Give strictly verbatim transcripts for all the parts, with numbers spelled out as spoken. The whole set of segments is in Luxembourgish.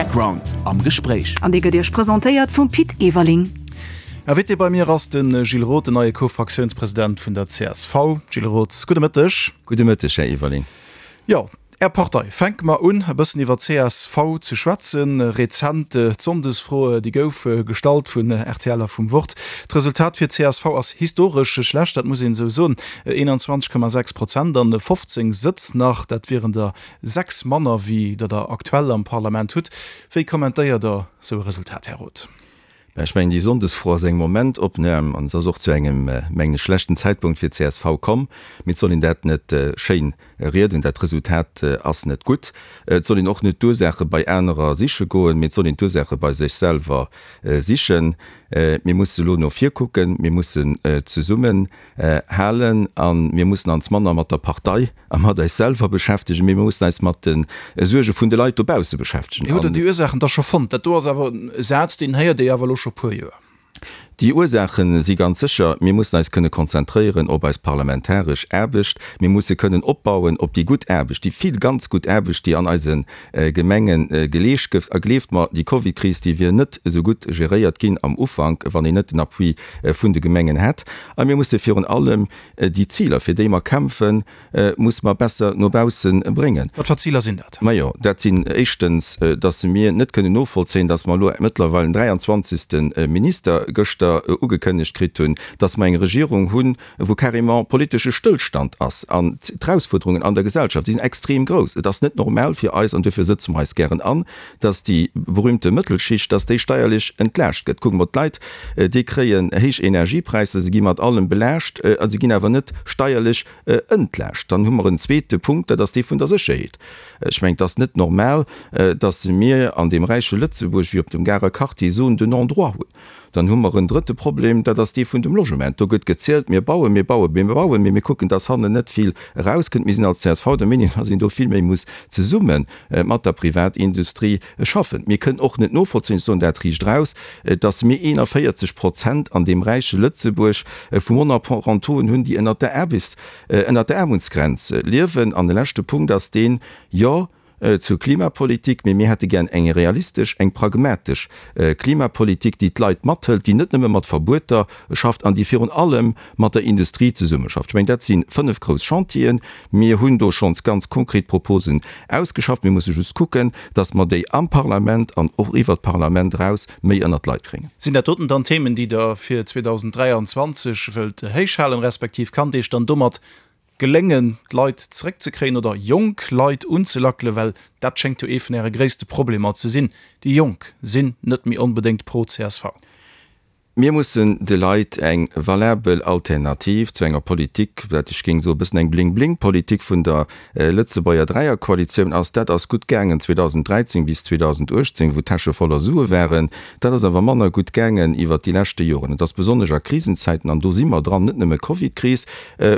Background am Gespréich. An dee gëtt Iech presentéiert vum Pit Everling. Invité bei mir ass de Gilles Roth, den neie Co-Fraktiounspresident vun der C S V. Gilles Roth, gudde Mëtteg. Gudde Mëtteg, Här Everling. Jo, Är Partei. Fänke mer un, e bëssen iwwer C S V ze schwätzen. Rezent d'Sonndesfro, déi gouf gestallt vun R T L a vum Wort. D'Resultat fir C S V ass historesch schlecht, dat muss een esou soen. eenanzwanzeg Komma sechs Prozent an fofzéng Sëtz nach, dat wieren der sechs manner wéi der der aktuell am Parlament hutt. Wéi kommentéiert Der esou e Resultat, Här Roth? Ech mengen, déi Sonndesfro ass eng Momentopnam an se ass och zu engem, mengen ech, schlechten Zäitpunkt fir d'C S V komm. Mee et soll een dat net schéin rieden, dat Resultat ass net gutt. Et soll een och net d'Ursaache bei anerer siche goen, mee et soll een d'Ursaache bei sech selwer sichen. Mir musse elo no vir kucken, mir mussen zesummen halen a mir mussen ons manner mat der Partei a mat eis selwer beschäftegen, mee mir mussen eis mat de Suerge vun de Leit dobausse beschäftegen. Hutt Der déi Ursaachen da scho fonnt? Dat do ass awer e Saz, deen héiert ee awer elo scho puer Joer. Déi Ursaache si ganz sécher, mir mussen eis kënne konzentréieren op eis parlamentaresch Aarbecht. Mir musse kënnen opbauen op déi gutt Aarbecht, déi vill ganz gutt Aarbecht, déi an eise Gemenge geleescht gëtt. A gleeft mer, déi Covid-Kris, déi wier net esou gutt geréiert ginn am Ufank, wann een net den Appui vun de Gemengen hätt. A mir musse virun allem déi Ziler, fir déi mer kämpfen, musse mer besser no bausse bréngen. Wat fir Ziler sinn dat? Majo, dat sinn éischtens, dass mir net kënnen novollzéien, dass mer elo mëttlerweil en dräianzwanzegste Minister gëschter ugekënnegt kritt hunn, dass mer eng Regierung hunn, wou carrément politesche Stëllstand ass. An d'Erausfuerderungen an der Gesellschaft, déi sinn extrem grouss. Et ass net normal fir eis, an duerfir sëtze mer eis gären an, dass déi berühmte Mëttelschicht, dass déi steierlech entlaascht gëtt. Kucke mer d'Leit, déi kréien héich Energiepräisser, se gi mat allem belaascht a se ginn awer net steierlech entlaascht. Dann hu mer en zweete Punkt, dat ass dee vun der Sécherheet. Ech mengen, et ass net normal, dass mir an deem räiche Lëtzebuerg wéi op dem Garer Quartier Zones de non-droit hunn. Dann hu mer en drëtte Problem, dat ass dee vun dem Logement. Do gëtt gezielt, mir bauen, mir bauen, mir bauen, mee mir kucken, dass hannen net vill erauskënnt. Mir sinn als C S V der Meenung, dass een do vill méi muss zesumme mat der Privatindustrie schaffen. Mir kënnen och net novollzéien, ech soen dat riicht eraus, dass mir eenanvéierzeg Prozent an deem räiche Lëtzebuerg vu Monoparentoen hunn, déi ënnert der Aarbechts-, ënnert der Aarmutsgrenz liewen. An de leschte Punkt ass deen, jo, zur Klimapolitik, mee mir hätte gär eng realistesch, eng pragmatesch Klimapolitik, déi d'Leit mathëlt, déi net nëmme mat Verbueter schafft an déi virun allem mat der Industrie zesummeschafft. Ech mengen, dat si fënnef grouss Chantieren. Mir hunn do schonns ganz konkret Proposen ausgeschafft. Mir musse just kucken, dass mer déi am Parlament an och iwwert d'Parlament eraus méi ënnert d'Leit kréien. Sinn dat doten dann Themen, déi Der fir zweedausend dräianzwanzeg wëllt héichhalen, respektiv kann et Iech dann domat geléngen, d'Leit zeréckzekréien oder jonk Leit unzelackelen, well dat schéngt jo ee vun Äre gréisste Problemer ze sinn, déi Jonk sinn net méi onbedéngt pro C S V. Mir mussen de Leit eng valabel Alternativ zu enger Politik, wat ech géing soen, e bëssen eng Bling-Bling-Politik vun der Lëtzebuerger Dräierkoalitioun ass. Dat ass gutt gaangen zweedausend dräizéng bis zweedausend uechtzéng, wou d'Täsche voller Sue waren. Dat ass awer manner gutt gaangen iwwert déi leschte Joren. Et ass besonnesch a Krisenzäiten, an do si mer dran, net nëmme Covid-Kris,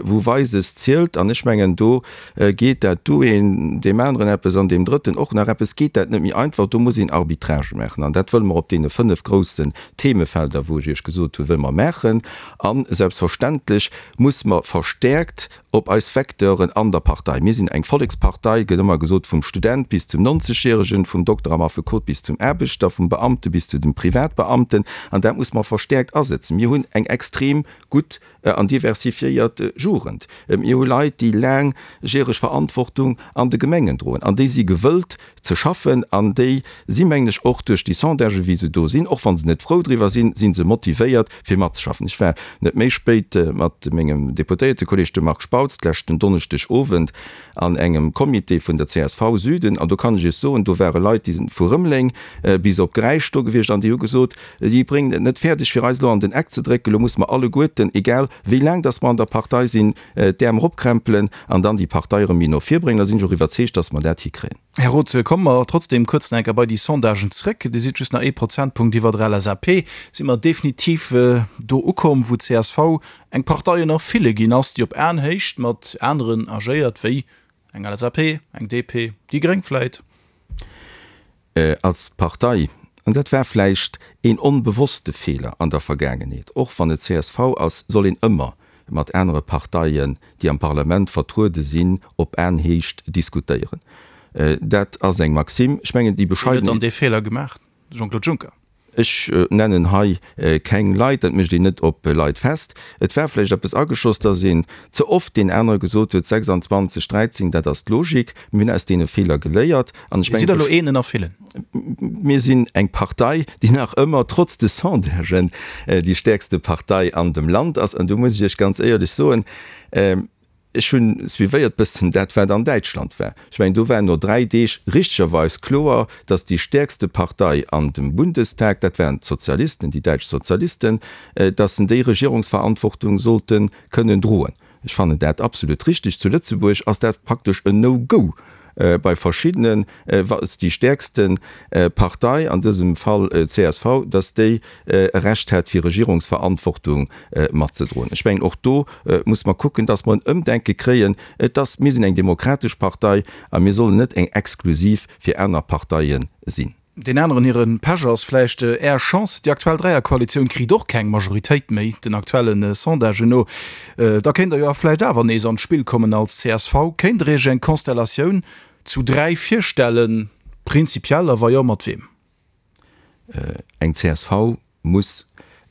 wou Weises zielt. An ech mengen, do geet dat do een deem aneren eppes an deem drëtten och nach eppes, geet dat net méi einfach. Do muss een Arbitragë maachen. An dat wëlle mer op deene fënnef groussen Themefelder, wou ech Iech gesot hunn, wëlle mer maachen. A selbstverständlech muss mer verstäerkt op eis Vecteuren an der Partei. Mir sinn eng Vollekspartei, gëtt ëmmer gesot, vum Student bis zum Nonzegjäregen, vum Dokter am Affekot bis zum Aarbechter, vum Beamte bis zu dem Privatbeamten. An dat muss mer verstäerkt asetzen. Mir hunn eng extrem gutt an diversifiéiert Jugend. Mir hu Leit, déi laangjäreg Verantwortung an de Gemengen droen an déi si gewëllt ze schaffen an déi si mengen ech och duerch déi Sondagen, wéi se do sinn, och wa se net frou driwwer sinn, si se motivéiert fir matzeschaffen. Ech war net méi spéit mat mengem Deputéiertekolleg, dem Marc Spautz, d'leschten Donneschdeg Owend an engem Comité vun der C S V Süden an do kann ech Iech soen, do ware Leit, déi sinn vu Rëmeleng bis op Gräisch do gewiescht an déi hu gesot, déi bréngen et net fäerdeg fir eis elo an den Eck ze drécken, elo musse mer alleguerten, egal wéi laang dass mer an der Partei sinn, d'Äerm eropkrämpelen an dann déi Partei erëm méi no vir bréngen. Da sinn ech och iwwerzeegt, dass mer dat hikréien. Här Roth, komme mer trotzdem kuerz nach eng Kéier bei déi Sondagen zréck. Dir sidd just nach ee Prozentpunkt iwwer der L S A P. Si mer definitiv do ukomm, wou C S V eng Partei ënner ville ginn ass, déi op Aenhéicht mat aneren agéiert, wéi eng L S A P, eng D P, déi Gréng vläit? Als Partei, an dat war vläicht een onbewosste Feeler an der Vergaangenheet, och wann et C S V ass, soll een ëmmer mat anere Parteien, déi am Parlament vertruede sinn, op Aenhéicht diskutéieren. Dat ass eng Maxime. Ech mengen, déi bescheiden. Wien huet dann dee Feeler gemaach? De Jean-Claude Juncker? Ech nennen hei keng Leit, dat mécht een net op Leit fest. Et war vläicht eppes ageschoss, datt een ze oft deen anere gesot huet, sechsanzwanzeg, dräizéng, dat ass d'Logik. Mir hunn aus deene Feeler geléiert an ech mengen. Dir sidd elo een ënner villen. Mir sinn eng Partei, déi nach ëmmer, trotz de Sondagen, déi stäerkste Partei an dem Land ass. An do muss ech Iech ganz éierlech soen, Ech hunn suivéiert bëssen dat, wat an Däitschland war. Ech mengen, do war no dräi Deeg richtegerweis kloer, datt déi stäerkste Partei an dem Bundestag, dat waren d'Sozialisten, déi däitsch Sozialisten, datt se déi Regierungsverantwortung sollte kënnen droen. Ech fannen dat absolut richtig. Zu Lëtzebuerg ass dat praktesch en No-Go bei verschiddenen, wa déi stäerkste Partei, an dësem Fall csv, datt déi e Recht hätt, fir Regierungsverantwortung matzedroen. Ech mengen, och do muss mer kucken, datt mer en Ëmdenke kréien. Et ass, mir sinn eng demokratesch Partei a mir sollen net eng exklusiv fir aner Parteie sinn. Deen aneren hire Pech ass vläicht Är Chance, déi aktuell Dräierkoalitioun kritt och keng Majoritéit méi, den aktuelle Sondagen no. Da kéint Der jo vläicht awer nees an d'Spill kommen als csv. Kéint Der Iech eng Konstellatioun zu dräi virstellen, prinzipiell, a wa jo, mat weem? Eng csv muss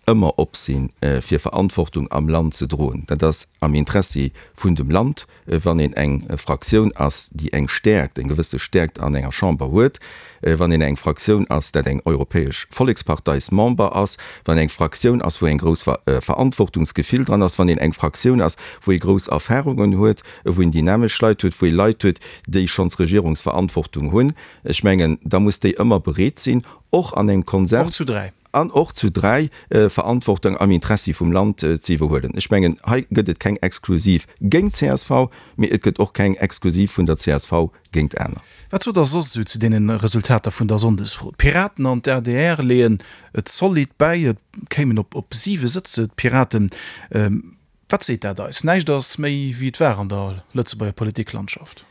ëmmer op sinn, fir Verantwortung am Land ze droen. Dat ass am Interessi vun dem Land, wann een eng Fraktioun ass, déi eng Stäerkt, eng gewësse Stäerkt an enger Chamber huet, wann een eng Fraktioun ass, dat eng Europäesch Volleksparteismember ass, wann eng Fraktioun ass, wou eng grouss Verantwortungsgefill dran ass, wann een eng Fraktioun ass, wou ee grouss Erfahrungen huet, wou een dynamesch Leit huet, wou ee Leit huet, déi schonns Regierungsverantwortung hunn. Ech mengen, da muss déi ëmmer bereet sinn, och an engem Konsens. Och zu dräi. An och zu dräi, Verantwortung am Interessi vum Land ze iwwerhuelen. Ech mengen, hei gëtt et keng Exklusiv géint csv, mee et gëtt och keng Exklusiv vun der csv géint aner. Wat sot Der soss esou zu deene Resultater vun der Sonndesfro? D'Piraten an d'ADR leeën et zolidd bäi, et kéimen op op siwe Sëtz, d'Piraten. Wat seet dat eis? Näischt ass méi wéi et war an der Lëtzebuerger Politiklandschaft.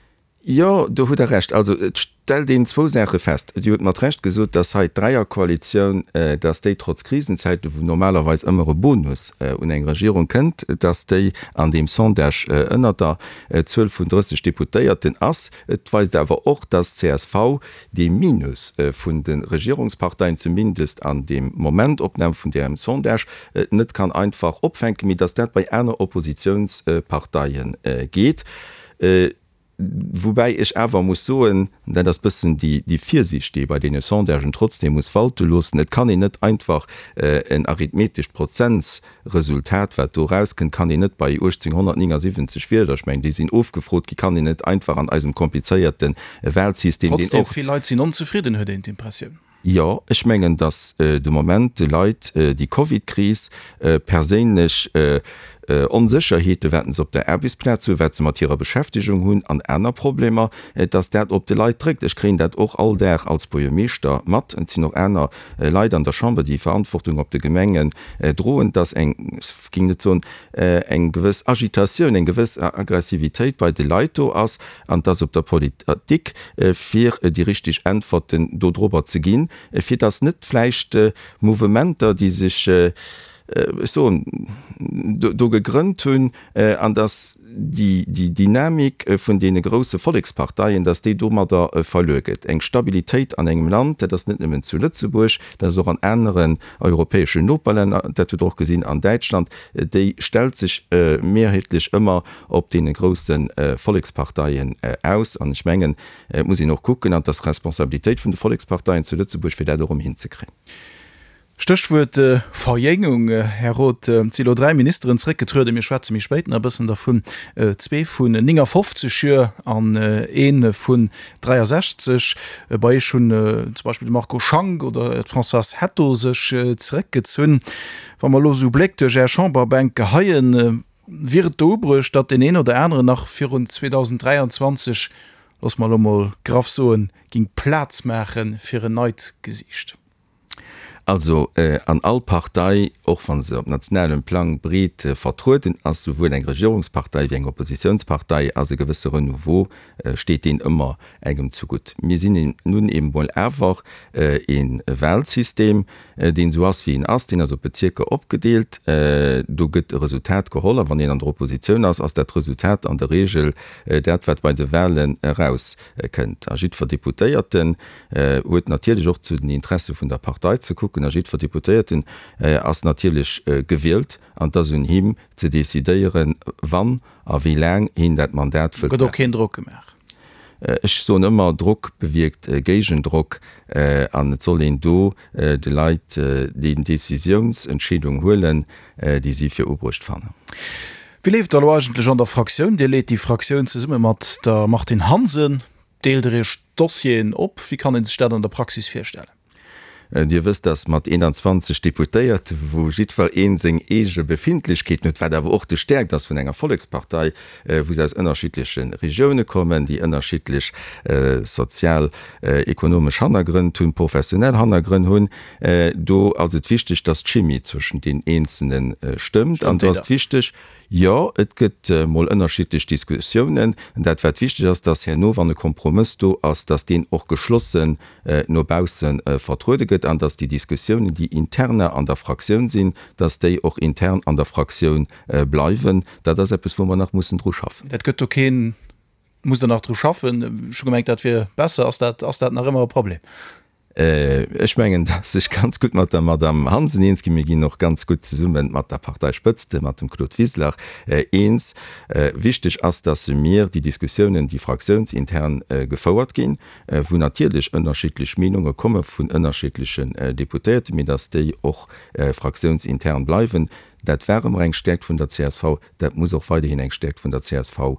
Jo, do hutt Der Recht. Also et stellt een zwou Saache fest. Dir hutt mat Recht gesot, dass hei d'Dräierkoalitioun, dass déi trotz Krisenzäiten, wou normalerweis ëmmer e Bonus un eng Regierung kënnt, dass déi an deem Sondage ënnert der Zuel vun drësseg Deputéierten ass. Et weist awer och, dass csv dee Minus vun de Regierungsparteien, zumindest an deem Momentopnam vun deem Sondage, net kann einfach opfänken, mee dass dat bei aner Oppositionsparteie geet. Woubäi ech awer muss soen, dat ass bëssen déi Virsiicht, déi ee bei deene Sondagen trotzdeem muss walte loossen, et kann een net einfach en arithmetescht Prozentsresultat, wat do erauskënnt, kann een net bei uechtzénghonnertnéngasiwwenzeg Wieler, ech mengen, déi sinn ofgefrot gi, kann een net einfach an eisem komplizéierte Wahlsystem, deen och. Trotzdem, vill Leit sinn onzefridden, huet een d'Impressioun. Jo, ech mengen, datt de Moment de Leit déi Covid-Kris, perséinlech Onsécherheeten, wat se op der Aarbechtsplaz hunn, wat se mat hirer Beschäftegung hunn an aner Problemer, datt dat op de Leit dréckt. Ech kréien dat och all Dag als Buergermeeschter mat, et sinn och aner Leit an der Chamber, déi Verantwortung op de Gemengen droen, datt eng, ech géing net soen eng gewëss Agitatioun, eng gewëss Aggressivitéit bei de Leit do ass an et ass op der Politik, fir déi richteg Äntwerten dodrobber ze ginn, fir datt net vläicht Mouvementer, déi sech, ech soen, do gegrënnt hunn, an datt déi Dynamik vun deene grousse Volleksparteien, datt déi domadder verluer gëtt. Eng Stabilitéit an engem Land, dat ass net nëmmen zu Lëtzebuerg, dat ass och an aneren europäeschen Noperlänner, dat hutt Der och gesinn an Däitschland, déi stellt sech mehrheetlech ëmmer op deene grousse Volleksparteien aus. An ech mengen, et muss een och kucken, an et ass d'Responsabilitéit vun de Volleksparteien zu Lëtzebuerg, fir dat och erëm hinzekréien. Stéchwuert Verjéngung, Här Roth, et si elo dräi Ministeren zréckgetrueden, mir schwätze méi spéit nach e bëssen dervun, zwee vun néngafofzeg Joer an ee vun dräiasechzeg. Bei Iech hunn zum Beispill de Marco Schank oder d'Françoise Hetto sech zeréckgezunn. Wa mer elo esou Bléck duerch Är Chamberbänk geheien, wier et do ubruecht, datt deen een oder aneren nach virun zweedausenddräianzwanzeg, loosse mer elo mol graff soen, géing Plaz maache fir en neit Gesiicht? Also an all Partei, och wa se op nationalem Plang breet vertrueden ass, souwuel eng Regierungspartei wéi eng Oppositionspartei, ass e gewësse Renouveau, steet deen ëmmer engem zegutt. Mir sinn nun eben mol awer e Wahlsystem, deen esou ass, wéi en ass, deen ass op Bezierker opgedeelt, do gëtt e Resultat geholl a wann een an der Oppositioun ass, ass dat Resultat an der Regel dat, wat bei de Wahlen erauskënnt. A jiddwer Deputéierten huet natierlech och zu den Interesse vun der Partei ze kucken a jiddwer Deputéierten ass natierlech gewielt an et ass un him ze decidéieren, wann a wéi laang hien dat Mandat wëllt. Gëtt och keen Drock gemaach? Ech soen ëmmer, Drock bewierkt Géigendrock an et soll een do de Leit déi Décisiounsentscheedung huelen, déi si fir ubruecht fannen. Wéi leeft et elo eigentlech an der Fraktioun? Dir leet déi Fraktioun zesumme mat der Martine Hansen. Deelt Der Iech d'Dossieren op? Wéi kann ee sech dat an der Praxis virstellen? Dir wësst, dass mat eenanzwanzeg Deputéierte, wou jiddwer een seng eege Befindlechkeeten huet, wat awer och de Stärkt ass vun enger Vollekspartei, wou se aus ënnerschiddleche Regioune kommen, déi ënnerschiddlech sozial, ekonomesch Hannergrënn hunn, professionell Hannergrënn hunn, do ass et wichteg, dass d'Chimie zwëschen den Eenzelne stëmmt. An do ass et wichteg, jo, et gëtt mol ënnerschiddlech Diskussiounen. Dat wat wichteg ass, dass herno, wann e Kompromëss do ass, dass deen och geschlossen no bausse vertruede gëtt an dass déi Diskussiounen, déi interne an der Fraktioun sinn, dass déi och intern an der Fraktioun bleiwen. Dat ass eppes, wou mer nach mussen dru schaffen. Et gëtt do keen, Musst Der nach dru schaffen? Ech hu gemengt, dat wier besser. Ass dat, ass dat nach ëmmer e Problem? Ech mengen, dass ech ganz gutt mat der Madamm Hansen eens ginn. Mir ginn och ganz gutt zesumme mat der Parteispëtzt, mat dem Claude Wiseler, eens. Wichteg ass, dass mir déi Diskussiounen, déi fraktiounsintern gefouert ginn, wou natierlech ënnerschiddlech Meenunge komme vun ënnerschiddlechen Deputéierten, mee dass déi och fraktiounsintern bleiwen. Dat war ëmmer eng Stäerkt vun der csv, dat muss och weiderhin eng Stäerkt vun der csv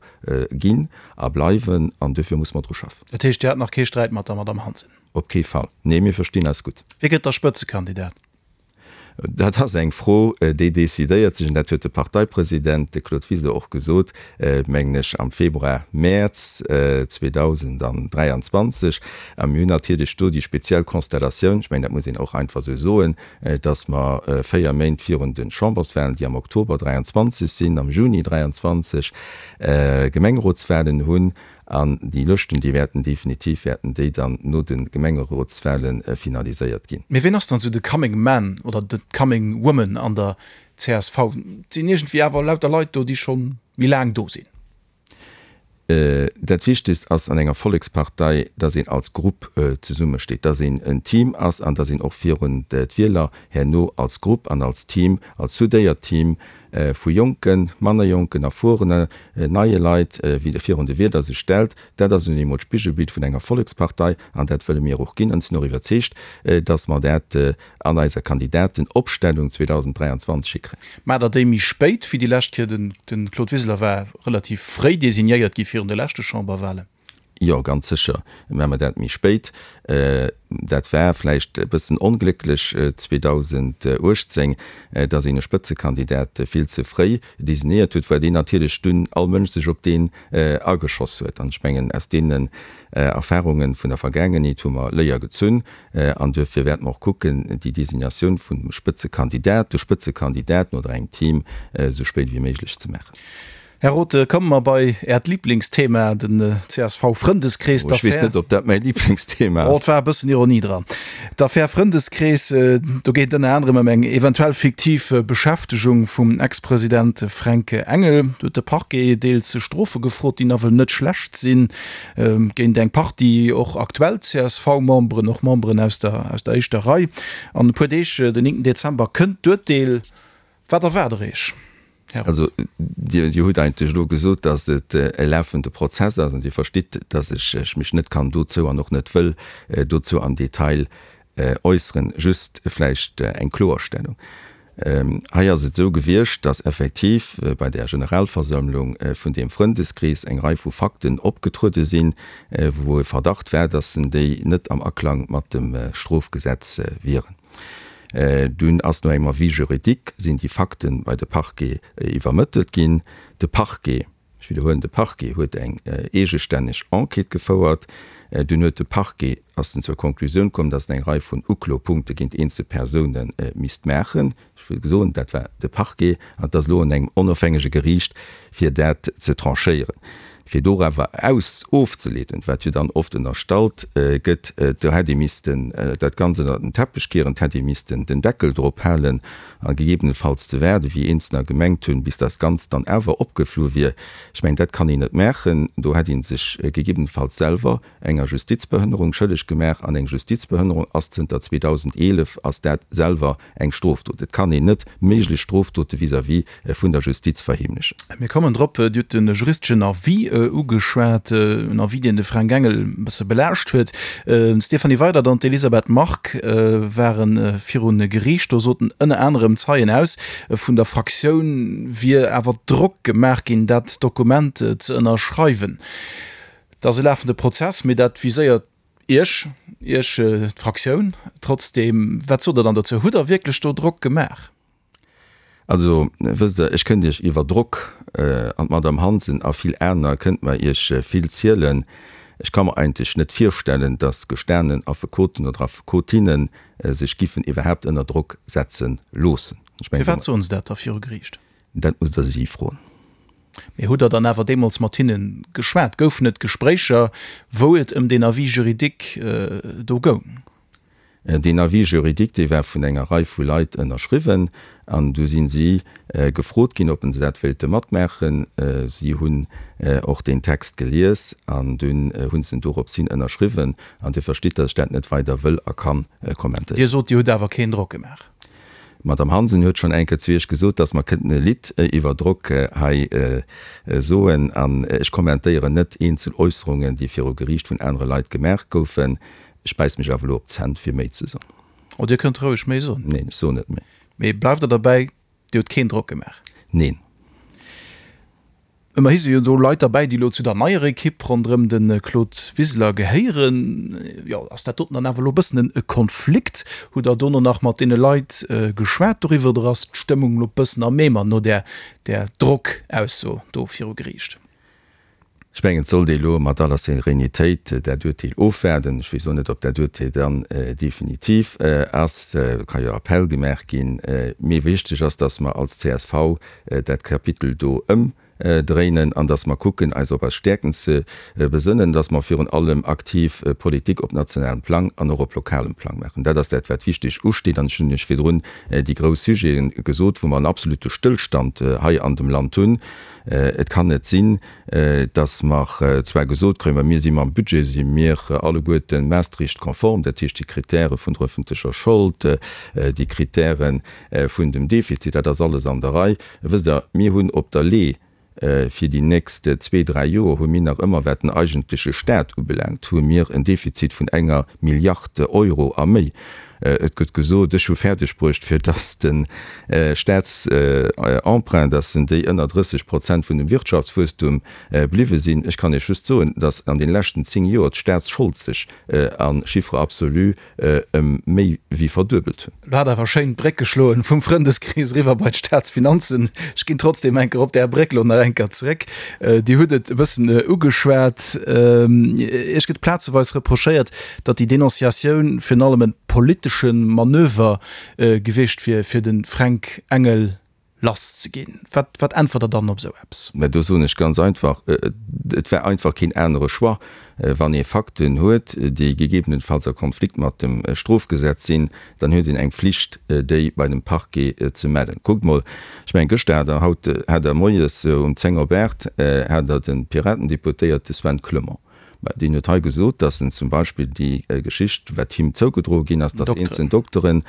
ginn a bleiwen, an duerfir muss mer dru schaffen. Dat heescht, Dir hat nach kee Sträit mat der Madamm Hansen? Op kee Fall. Nee, mir verstinn eis gutt. Wie gëtt da Spëtzekandidat? Dat ass eng Fro, déi decidéiert sech, an dat huet de Parteipresident, de Claude Wiseler, och gesot, mengen ech, am Februar, Mäerz zweedausenddräianzwanzeg. A mir hunn natierlech do déi speziell Konstellatioun, ech mengen, dat muss een och einfach esou soen, datt mer véier Méint virun de Chamberswahlen, déi am Oktober dräianzwanzeg sinn, am Juni dräianzwanzeg Gemengerotswahlen hunn. An déi Lëschten, déi wäerten definitiv, wäerten déi dann no de Gemengerotswahlen finaliséiert ginn. Mee ween ass dann esou de Coming Man oder de Coming Woman an der csv? Et sinn iergendwéi awer lauter Leit do, déi scho méi laang do sinn. Dat Wichtegst ass an enger Vollekspartei, datt een als Grupp zesummesteet, datt een en Team ass an datt een och virun d'Wieler herno als Grupp an als Team, als soudéiert Team vu jonken, manner jonken, erfuerene, neie Leit virun de Wieler sech stellt. Dat ass nun eemol d'Spigelbild vun enger Vollekspartei an dat wëlle mir och ginn. An ech sinn och iwwerzeegt, datt mer dat an eiser Kandidatenopstellung zweedausenddräianzwanzeg hikréien. Maacht Der déi méi spéit wéi déi lescht Kéier? De Claude Wiseler war relativ fréi designéiert gi virun de leschte Chamberwahlen. Jo, ganz sécher maache mer dat méi spéit. Dat war vläicht e bëssen onglécklech zweedausenduechtzéng, datt een e Spëtzekandidat vill ze fréi designéiert huet, well deen natierlech dunn all Mënsch sech op deen ageschoss huet. An ech mengen, aus deenen Erfahrunge vun der Vergaangenheet hu mer Léier gezunn. An duerfir wäerte mer och kucken, déi Designatioun vun dem Spëtzekandidat, de Spëtzekandidaten oder engem Team esou spéit wéi méiglech ze maachen. Här Rothe, komme mer bei Äert Liblingsthema, den C S V-Frëndeskrees, Ech weess d'Affär. net, ob dat mäi Liblingsthema Oh, ass. et war e bëssen Ironie dran. D'Affär Frëndeskrees, do geet et ënner anerem ëm eng eventuell fiktiv Beschäftegung vum Ex-President Fränk Engel. Do huet de Parquet deels Strofe gefrot, déi nawell net schlecht sinn, géint eng Partie och aktuell C S V-Memberen, och Memberen aus der aus der éischter Rei. An e puer Deeg, den néngten Dezember, kënnt d'Urteel. Wat erwaart Der Iech? Här Roth. Also, Dir, Dir hutt eigentlech elo gesot, dass et e lafende Prozess ass, an Dir verstitt, dass ech, ech mech net kann dozou an och net wëll dozou am Detail äusseren. Just vläicht eng Kloerstellung. Hei ass et esou gewiescht, dass effektiv bei där Generalversammlung vun deem Frëndeskrees eng Rei vu Fakten opgetruede sinn, wou e Verdacht war, dass déi net am Aklang mat dem Strofgesetz wieren. Dunn ass no engem Avis juridique sinn déi Fakte bei de Parquet iwwermëttelt ginn. De Parquet, ech widderhuelen, de Parquet huet eng eegestänneg Enquête gefouert. Dunn huet de Parquet, ass en zur Konklusioun komm, datt en eng Rei vun Uklopunkte géint eenzel Persoune misst maachen. Ech wëll soen, dat war de Parquet, an et ass elo un engem onofhängege Geriicht, fir dat ze tranchéieren. Fir dorawer aus ofzeleeden, wat jo dann oft ënnerstallt gëtt, do hätt ee missten dat Ganzt ënnert den Teppech kieren, et hätt ee missten den Deckel drop halen a gegebenenfalls ze waarden, wéi Eenzelner gemengt hunn, bis dat Ganzt dann awer opgeflu wier. Ech mengen, dat kann een net maachen. Do hätt ee sech gegebenenfalls selwer enger Justizbehënnerung schëlleg gemaach. An eng Justizbehënnerung ass zënter zweedausendeelef ass dat selwer eng Strofdot. Et kann een net méiglech Strofdote vis-à-vis vun der Justiz verheemlechen. Mir kommen drop, Dir hutt de juristeschen Avis ugeschwat, en Avis, deen de Fränk Engel e bësse belaascht huet. D'Stéphanie Weydert an d'Elisabeth Margue ware viru Geriicht. Do soten ënner anerem Zeien aus, vun der Fraktioun wier awer Drock gemaach ginn, dat Dokument ze ënnerschreiwen. Et ass e lafende Prozess, mee dat viséiert Iech, Iech d'Fraktioun. Trotzdeem, wat sot Der dann dozou? Hutt Der wierklech do Drock gemaach? Also, wësst Der, ech kënnt Iech iwwer Drock, an d'Madame Hansen a vill aner kënnt mer Iech vill zielen. Ech ka mer eigentlech net virstellen, datt gestanen Affekoten oder Affekotinne sech giffen iwwerhaapt ënner Drock setze loossen. Ech mengen. Firwat soen se dat da viru Geriicht? Dat musst Der si froen. Mee hutt Der dann awer deemools mat hinne geschwat? Goufen et Gespréicher, wou et ëm deen Avis juridique do goung? Deen Avis juridique, dee war vun enger Rei vu Leit ënnerschriwwen an du si si gefrot ginn, ob se dat wéilte matmaachen. Si hunn och deen Text gelies an dunn hu se en dorops hin ënnerschriwwen. An Dir verstitt, datt ech dat net weider wëll a ka kommentéieren. Dir sot, Dir hutt awer keen Drock gemaach. D'Madame Hansen huet schonn eng Kéier zu Iech gesot, datt mer kënnten e Lidd iwwer Drock hei soen. An ech kommentéieren net eenzel Äusserungen, déi viru Geriicht vun anere Leit gemaach goufen. Ech bäiss mech awer elo op d'Zänn, fir méi ze soen. Oh, Dir kënnt roueg méi soen. Neen, ech soen net méi. Mee bleift Der derbäi, Dir hutt keen Drock gemaach? Neen. Ëmmerhi si jo do Leit derbäi, déi elo zu der neier Ekipp ronderëm de Claude Wiseler gehéieren. Jo, ass dat doten dann awer elo e bëssen e Konflikt? Hutt Der dono nach mat deene Leit geschwat doriwwer oder ass d'Stëmmung elo e bëssen am Eemer no där Drockausso do viru Geriicht? Ech mengen, et sollt ee elo mat aller Serenitéit dat Urteel ofwaarden. Ech weess och net, ob dat Urteel dann definitiv ass. Do ka jo Appell gemaach ginn. Mee wichteg ass, dass mer als C S V dat Kapitel do ëmdréinen an dass mer kucken, eis op eis Stäerkten ze besënnen, dass mer virun allem aktiv Politik op nationalem Plang an och op lokalem Plang maachen. Dat ass dat, wat wichteg usteet. An ech hunn Iech virdrun déi grouss Sujete gesot, wou mer en absolute Stëllstand hei an dem Land hunn. Et kann net sinn, dass mer zwar gesot kréien, ma mir si mam Budget, si mir alleguerte Maastricht-konform, dat heescht déi Kritäre vun der öffentlecher Schold, déi Kritäre vun dem Defizit, dat ass alles an der Rei. Wësst Der, mir hunn op der Lee fir déi nächst zwee, dräi Joer hu mir nach ëmmer, wat den eigentleche Stat ubelaangt, hu mir en Defizit vun enger Milliard Euro a méi. Et gëtt gesot, ech hu fäerdeg bruecht, fir datt de Staatsemprunt, datt en déi ënner drësseg Prozent vun dem Wirtschaftswuesstum bliwwe sinn. Ech kann Iech just soen, datt an deene leschten zéng Joer d'Staatsschold sech a Chiffre absolu ëm méi wéi verduebelt hunn. Lo hat awer schéin d'Bréck geschloen vum Frëndeskrees eriwwer bei d'Staatsfinanzen. Ech ginn trotzdem eng Kéier op där Bréck lo nach eng Kéier zeréck. Dir hutt et e bëssen ugeschwat. Iech gëtt plazeweis reprochéiert, datt déi Denonciatioun virun allem e politesche Manöver gewiescht wier, fir de Fränk Engel lass ze ginn. Wat, wat äntwert Der dann op esou eppes? Mä do soen ech ganz einfach, Et war einfach keen anere Choix. Wann ee Fakten huet, déi gegebenenfalls a Konflikt mat dem Strofgesetz sinn, dann huet een eng Pflicht, déi bei dem Parquet ze mellen. Kuckt mol, ech mengen, gëschter hat Der, haut hat Der moies um zéng op aacht hat Der de Piratendeputéierte Sven Clement, Mä deen huet hei gesot, datt en zum Beispill déi Geschicht, wat him zougedroe ginn ass, datt eenzel Doktere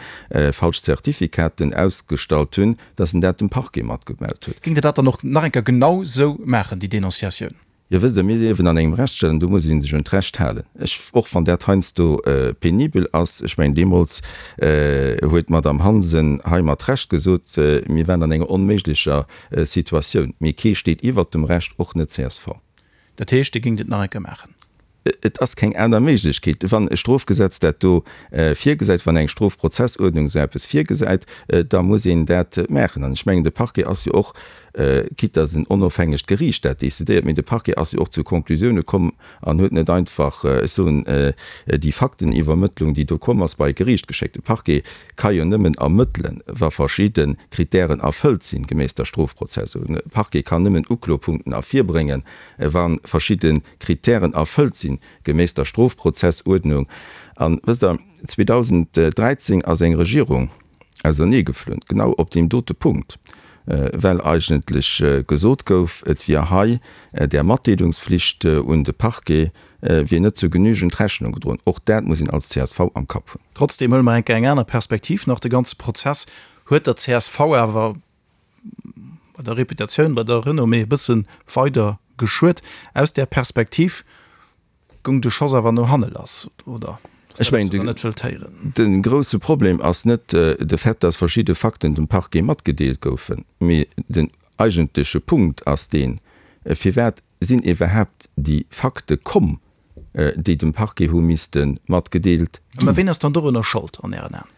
falsch Zertifikaten ausgestallt hunn, datt en dat dem Parquet matgemellt huet. Géingt Der dat dann och nach eng Kéier genau esou maachen, déi Denonciatioun? Jo, wësst Der, mir liewen an engem Rechtsstaat an do muss ee sech un d'Recht halen. Ech, och wann dat heiansdo penibel ass, ech mengen, deemools huet d'Madame Hansen hei mat Recht gesot, mir waren an enger onméiglecher Situatioun. Mee kee steet iwwert dem Recht, och net csv. Dat heescht, Dir géingt et nach eng Kéier maachen? Et ass keng aner Méiglechkeet. Wann e Strofgesetz dat do virgesäit, wann eng Strofprozessuerdnung esou eppes virgesäit, da muss een dat maachen. An ech mengen, de Parquet ass jo och, quitte dass en onofhängegt Geriicht dat decidéiert, mee de Parquet ass jo och zu Konklusioune komm an huet net einfach, ech soen, déi Fakteniwwermëttlung, déi do komm ass, bei e Geriicht geschéckt. De Parquet ka jo nëmmen ermëttelen, wa verschidde Kritären erfëllt sinn, geméiss der Strofprozessuerdnung. De Parquet kann nëmmen Uklopunkten ervirbréngen, wa verschidde Kritären erfëllt sinn, geméiss der Strofprozessuerdnung. An, wësst Der, zweedausenddräizéng ass eng Regierung auserneegeflunn, genau op deem dote Punkt, well eigentlech gesot gouf, et wier hei där Matdeelungspflicht un de Parquet wier net zu genügend Rechnung gedroen. Och dat muss een als C S V am Kapp hunn. Trotzdem huele mer eng Kéier eng aner Perspektiv nach. De ganze Prozess huet der C S V awer bei der Reputatioun, bei der Renommée e bësse weider geschuet. Aus där Perspektiv goung de Schoss awer no hanne lass, oder? Ech mengen, de grousse Problem ass net de Fait, dass verschidde Fakten dem Parquet matgedeelt goufen, mee den eigentleche Punkt ass deen, Firwat sinn iwwerhaapt déi Fakte komm, déi dem Parquet hu misste matgedeelt ginn? Mä ween ass dann dorunner Schold an Ären Aen?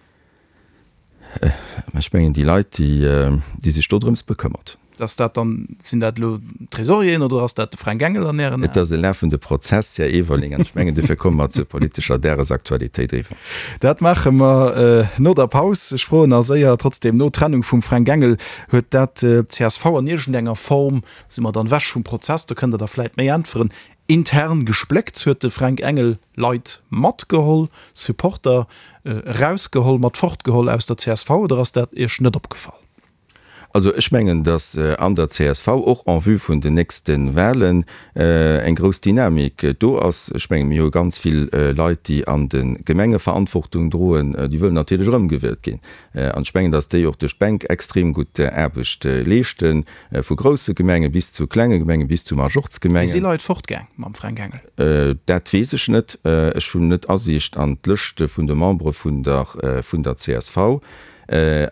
Ech mengen déi Leit, déi sech dodrëms bekëmmert. Ass dat dann, sinn dat elo d'Tresorieren oder ass dat de Fränk Engel an Ären Aen? Et ass e lafende Prozess, Här Everling, an ech mengen, dofir komme mer zur politescher Dagesaktualitéit eriwwer. Dat maache mer no der Paus. Ech froen nach séier trotzdem no, D'Trennung vum Fränk Engel, huet dat d'C S V an iergendenger Form, si mer dann ewech vum Prozess, do kënnt Der da vläit méi äntweren, intern gespléckt? Huet de Fränk Engel Leit matgeholl, Supporter erausgeholl, mat fortgeholl aus der C S V oder ass dat Iech net opgefall? Also ech mengen, datt an der C S V och en vue vun den nächste Wahlen eng grouss Dynamik do ass. Ech menge mir hu ganz vill Leit, déi an de Gemenge Verantwortung droen, déi wëllen natierlech erëmgewielt ginn. An ech mengen, datt déi och duerch d'Bänk extrem gutt Aarbecht leeschten, vu grousse Gemenge bis zu klenge Gemengen, bis zu Si Majorzgemengen. Leit fortgaang mam Fränk Engel? Dat weess ech net. Ech hunn net Asiicht an d'Lëschte vun de Membere vun der vun der C S V.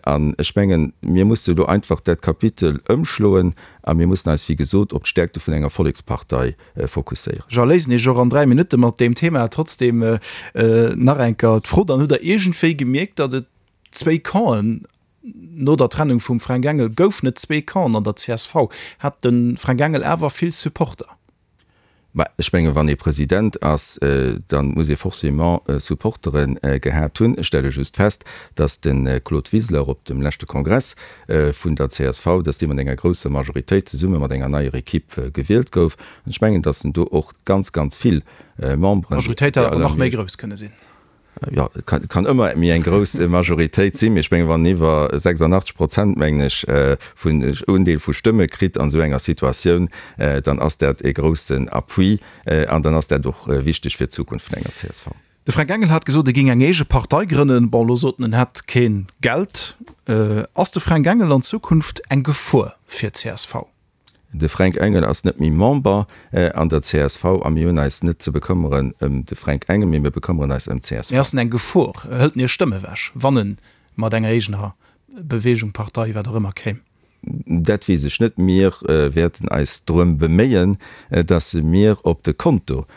An ech mengen, mir musse elo einfach dat Kapitel ëmschloen a mir mussen eis, wéi gesot, op d'Stärkte vun enger Vollekspartei fokusséieren. Ech erléisen Iech och an dräi Minutte mat deem Thema. Trotzdem nach eng Kéier d'Fro, Dann hutt Der iergendwéi gemierkt, datt et zwéi Campen no der Trennung vum Fränk Engel goufen et zwee Campen an der C S V. Hat de Fränk Engel awer vill Supporter? Mä ech mengen, wann ee President ass, da muss ee forcément Supportere gehat hunn. Ech stelle just fest, datt de Claude Wiseler op dem leschte Kongress vun der C S V, datt dee mat enger grousser Majoritéit zesumme mat enger neier Equipe gewielt gouf. An ech mengen, datt en do och ganz, ganz vill Memberen. D'Majoritéit hätt awer nach méi grouss kënne sinn. Jo, et kann, et kann ëmmer méi eng grouss Majoritéit sinn, mee ech mengen, wann iwwer sechsundachtzeg Prozent, mengen ech, vun Undeel vu Stëmme kritt an esou enger Situatioun, dann ass dat e groussen Appui an dann ass dat och wichteg fir d'Zukunft vun enger C S V. De Fränk Engel hat gesot, e géing eng eege Partei grënnen. Bon, elo sot en, en hätt keen Geld. Ass de Fränk Engel an Zukunft eng Gefor fir d'C S V? De Fränk Engel ass net méi Member an der C S V a mir hunn eis net ze bekëmmeren ëm de Fränk Engel, mee mir bekëmmeren eis ëm Mee d'C S V. Ass en eng Gefor? Hëlt en Iech Stëmme ewech, wann en mat enger eegener Beweegung, Partei, wat och ëmmer, kéim? Dat weess ech net. Mir wäerten eis drëm beméien, dass mir op de Konto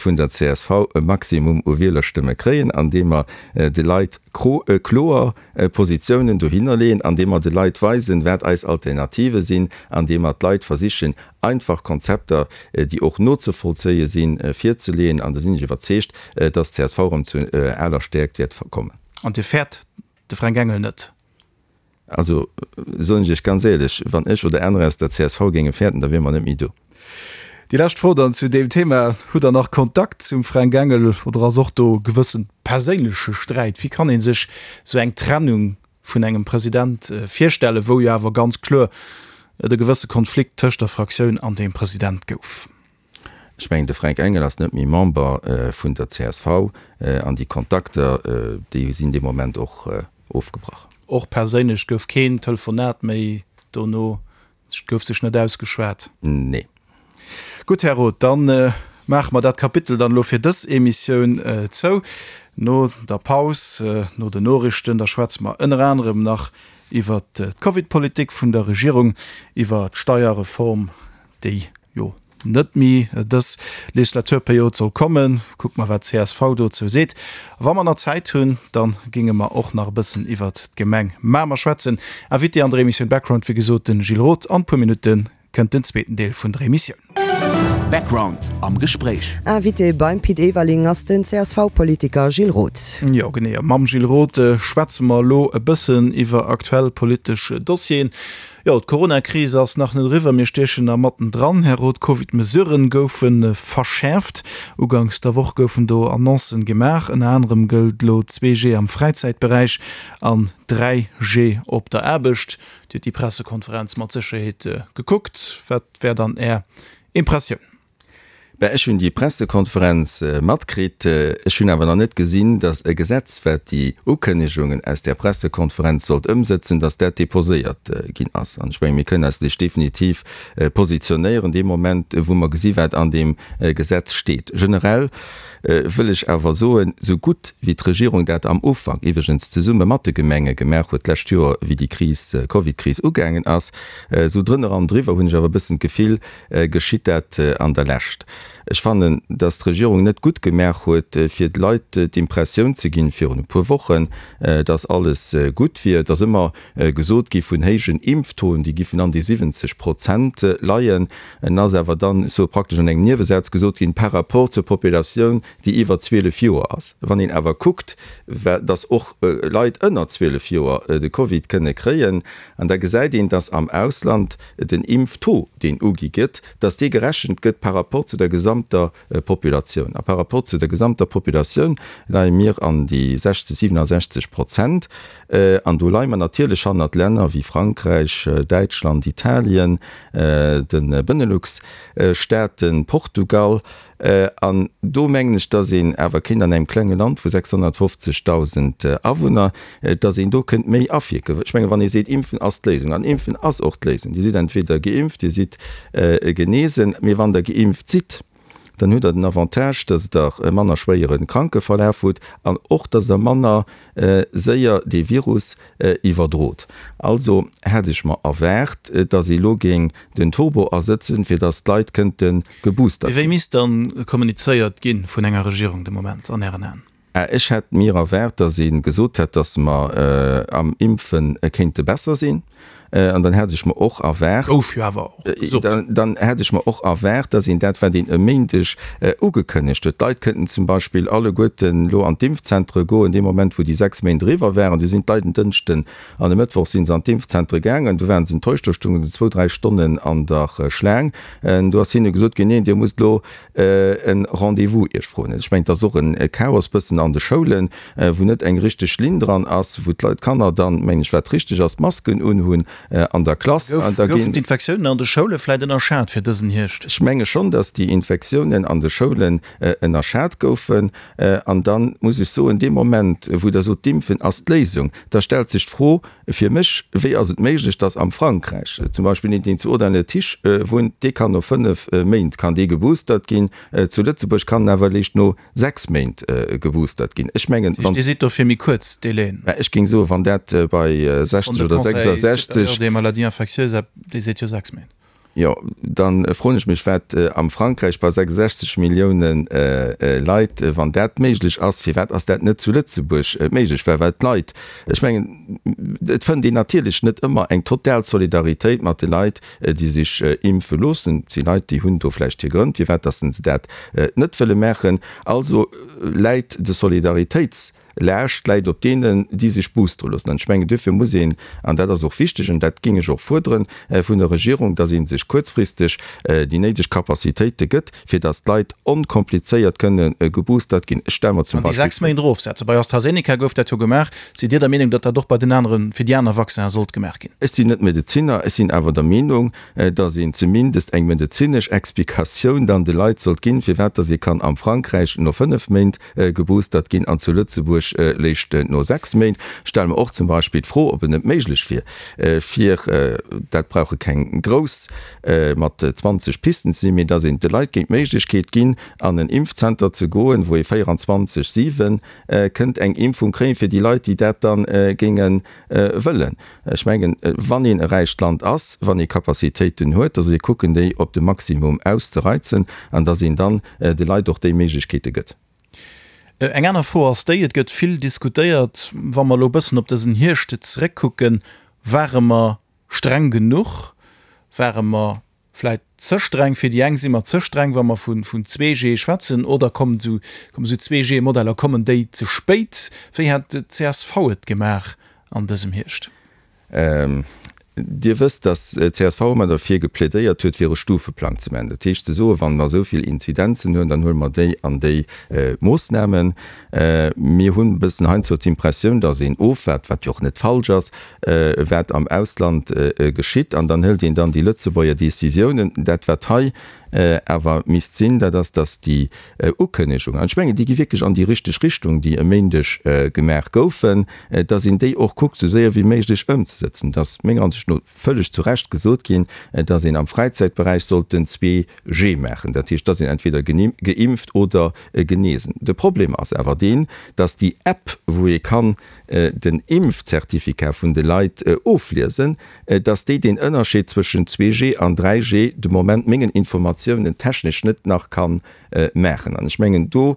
vun der C S V e Maximum u Wielerstëmme kréien, andeem mer de Leit kloer Positiounen dohinner leeën, andeem mer de Leit weisen, wat eis Alternative sinn, andeem mer d'Leit versichen, einfach Konzepter, déi och nozevollzéie sinn, virzeleeën. An da sinn ech iwwerzeegt, dass d'C S V erëm zu aler Stäerkt wäert kommen. An Dir fäert de Fränk Engel net? Also, soen ech Iech ganz éierlech, wann ech oder anerer aus der C S V géinge fäerten, da wiere mer net méi do. Déi lescht Fro dann zu deem Thema, Hutt Der nach Kontakt zum Fränk Engel oder ass och do e gewësse perséinleche Sträit? Wéi kann ee sech esou eng Trennung vun engem President virstellen, wou jo awer ganz kloer et e gewësse Konflikt tëscht der Fraktioun an dem President gouf? Ech mengen, de Fränk Engel ass net méi Member vun der C S V an déi Kontakter, déi sinn dee Moment och ofgebrach. Och perséinlech gouf keen Telefonat méi dono, et gouf sech net ausgeschwat? Nee. Gutt, Här Roth, da maache mer dat Kapitel dann elo fir dës Emissioun zou. No der Paus, no den Noriichten, da schwätze mer ënner anerem nach iwwert d'Covid-Politik vun der Regierung, iwwer d'Steierreform, déi jo net méi dës Legislaturperiod soll kommen. Kucke mer, wat d'CSV dozou seet. A wa mer nach Zäit hunn, da géinge mer och nach e bëssen iwwert d'Gemeng Mamer schwätzen. Invité an der Emissioun Background, wéi gesot, den Gilles Roth. An e puer Minutte kënnt den zweeten Deel vun der Emissioun. Background am Gespréich. Invité beim Pit Everling ass den CSV-Politiker Gilles Roth. Jo genee, mam Gilles Roth schwätze mer elo e bëssen iwwer aktuell politesch Dossieren. Jo, d'Coronakris ass nach net eriwwer, mir stiechen nach matten dran. Här Roth, d'Covid-Mesuren goufe verschäerft. Uganks der Woch goufen do Annoncen gemaach. Ënner anerem gëllt elo zwee G am Fräizäitberäich an dräi G op der Aarbecht. Dir hutt déi Pressekonferenz mat Sécherheet gekuckt. Wat wär dann Är Impressioun? Ben, ech hunn déi Pressekonferenz matkritt. Ech hunn awer nach net gesinn, datt e Gesetz, wat déi Ukënnegungen aus där Pressekonferenz sollt ëmsëtzen, datt dat deposéiert ginn ass. An ech mengen, mir kënnen eis lech definitiv positionéieren dee Moment, wou mer gesi wat an deem Gesetz steet. Generell wëll ech awer soen, esou gutt wéi d'Regierung dat am Ufank, iwwregens zesumme mat de Gemenge gemaach huet d'lescht Joer, wéi déi Kris, Covid-Kris ugaangen ass, esou drënner an driwwer hunn ech awer e bëssen d'Gefill, geschitt dat an der Lescht. Ech fannen, dass d'Regierung net gutt gemaach huet, fir de Leit d'Impressioun ze ginn, virun e puer Wochen, dass alles gutt wier. Et ass ëmmer gesot gi vun héijen Impftoen, déi giffen an déi siwwenzeg Prozent leien. En ass awer dann esou praktesch an engem Niewesaz gesot ginn, par rapport zur Populatioun, déi iwwer zwielef Joer ass. Wann een awer kuckt, dass och Leit ënner zwielef Joer de Covid kënne kréien, an da gesäit een, dass am Ausland den Impftaux, deen ugi gëtt, dass dee gerechent gëtt par rapport zu der gesamter Populatioun. A par rapport zu der gesamter Populatioun leie mir an déi sechzeg, siwenasechzeg Prozent. An do leie mer natierlech hannert Länner wéi Frankräich, Däitschland, Italien, de Benelux-Staaten, Portugal. An do mengen ech, dass een awer kéint an engem klenge Land vu sechshonnertfofzegdausend Awunner, dass een do kënnt méi awierken. Ech mengen, wann ee seet, Impfen ass d'Léisung, an Impfen ass och d'Léisung, Dir sidd entweder geimpft, Dir sidd genesen, mee wann Der geimpft sidd, dann hutt Der den Avantage, dass Der e manner schwéiere Krankeverlaf hutt an och, dass Der manner séier dee Virus iwwerdrot. Also hätt ech mer erwaart, dass ee lo géing den Turbo asëtzen, fir dass d'Leit kënnte geboostert ginn. Wéi misst dann kommunizéiert gi vun enger Regierung de Moment an Ären Aen? Ech hätt mir erwaart, dass ee gesot hätt, dass mer am Impfe kéinte besser sinn. An dann hätt ech mer och erwaart, Gouf jo awer och gesot. Dann hätt ech mer och erwaart, dass een dat, wat een e Méindeg ugekënnegt huet, d'Leit kënnten zum Beispill alleguerten elo an d'Impfzentere goen, dee Moment, wou déi sechs Méint eriwwer waren, du sinn d'Leit en Dënschden an e Mëttwoch si se an d'Impfzentere gaangen, du waren se enttäuscht, do stounge se zwou, dräi Stonnen an der Schlaang. Do ass hinne gesot ginn, Neen, Dir musst elo e Rendez-vous Iech froen. Ech mengen, et ass och e Chaos bëssen an de Schoulen, wou net eng richteg Linn dran ass, wou d'Leit, d'Kanner dann, mengen ech, wat richteg ass, d'Masken unhunn an der Klass. Goufen d'Infektiounen an de Schoule vläit ënnerschat fir dësen Hierscht? Ech menge schonn, datt déi Infektiounen an de Schoulen ënnerschat goufen. An da muss ech soen, dee Moment, wou Der sot, d'Impfen ass d'Léisung, da stellt sech d'Fro fir mech, Wéi ass et méiglech, datt am Frankräich zum Beispill een, deen zu Audun-le-Tiche wunnt, dee kann no fënnef Méint kann dee geboostert ginn, zu Lëtzebuerg kann en awer eréischt no sechs Méint geboostert ginn? Ech mengen, wann. Dir sidd do fir méi kuerz Délaiën? Mä ech géing soen, wann dat bei sechzeg oder sechsasechzeg. De Conseil supérieur des maladies infectieuses, dee seet jo sechs Méint. Jo, da froen ech mech, wat am Frankräich bei sechsundsechzeg Millioune Leit, wann dat méiglech ass, firwat ass dat net zu Lëtzebuerg méiglech? Well well d'Leit, ech mengen, et fënnt een natierlech net ëmmer eng total Solidaritéit mat de Leit, déi sech impfe loossen. Et si Leit, déi hunn do vläicht hir Grënn, firwat datt se dat net wëlle maachen. Also läit de Solidaritéits. Laascht läit op deenen, déi sech boostere loossen. An ech mengen, duerfir muss een, an dat ass och wichteg, an dat géing ech och fuerdere vun der Regierung, dass ee sech kuerzfristeg déi néideg Capacitéite gëtt, fir dass d'Leit onkomplizéiert kënne geboostert ginn. Ech stelle mer zum An déi Beispill. sechs Méint erofsetzen. Bei AstraZeneca gouf dat jo gemaach. Sidd Dir der Meenung, datt dat och bei den aneren, fir déi aner Vaccinen sollt gemaach ginn? Ech sinn net Medezinner, ech sinn awer der Meenung, dass een zumindest eng medezinesch Explikatioun dann de Leit sollt ginn, firwat dass ee kann am Frankräich no fënnef Méint geboostert ginn an zu Lëtzebuerg méiglech léischt no sechs Méint. Stelle mer och zum Beispill d'Fro, ob et net méiglech wier, fir, dat brauche keng grouss mat zwanzeg Pisten ze sinn, mee dass een de Leit géing d'Méiglechkeet ginn, an en Impfzenter ze goen, wou ee véieranzwanzeg siwen kënnt eng Impfung kréien, fir déi Leit, déi dat da géinge wëllen. Ech mengen, wann een e räicht Land ass, wann ee Capacitéiten huet, da soll ee kucken, déi op de Maximum auszereizen an dass een dann de Leit och déi Méiglechkeete gëtt. Eng aner Fro ass déi, Et gëtt vill diskutéiert, wa mer elo e bëssen op dësen Hierscht zeréckkucken, Ware mer streng genuch? Ware mer vläit ze streng? Fir déi eng si mer ze streng, wa mer vun zwee G schwätzen. Oder kommen esou zwee G-Modeller, kommen déi ze spéit? Wéi hätt d'CSV et gemaach an dësem Hierscht? Dir wësst, datt csv ëmmer derfir geplädéiert huet, fir e Stufeplang ze maachen. Dat heescht ze soen, wa mer esou vill Inzidenzen hunn, dann huele mer déi an déi Moossnamen. Mir hunn e bëssen heiansdo d'Impressioun, datt een ofwaart, wat jo och net falsch ass, wat am Ausland geschitt, an dann hëlt een dann déi Lëtzebuerger Décisiounen. Dat, wat hei awer misst sinn, dat ass, datt déi Ukënnegung, an ech mengen, déi gi wierklech an déi richteg Richtung, déi e Méindeg gemaach goufen, datt een déi och kuckt, esou séier wéi méiglech ëmzesetzen. Et ass menger Ansicht no vëlleg zu Recht gesot ginn, datt een am Fräizäitberäich sollt den zwee G maachen, dat heescht, datt een entweder geimpft oder genesen. De Problem ass awer deen, datt déi App, wou ee kann den Impfzertificat vun de Leit ofliesen, dass déi deen Ënnerscheed zwëschen zwee G an dräi G de Moment mengen Informatiounen technesch net nach ka maachen. An ech mengen, do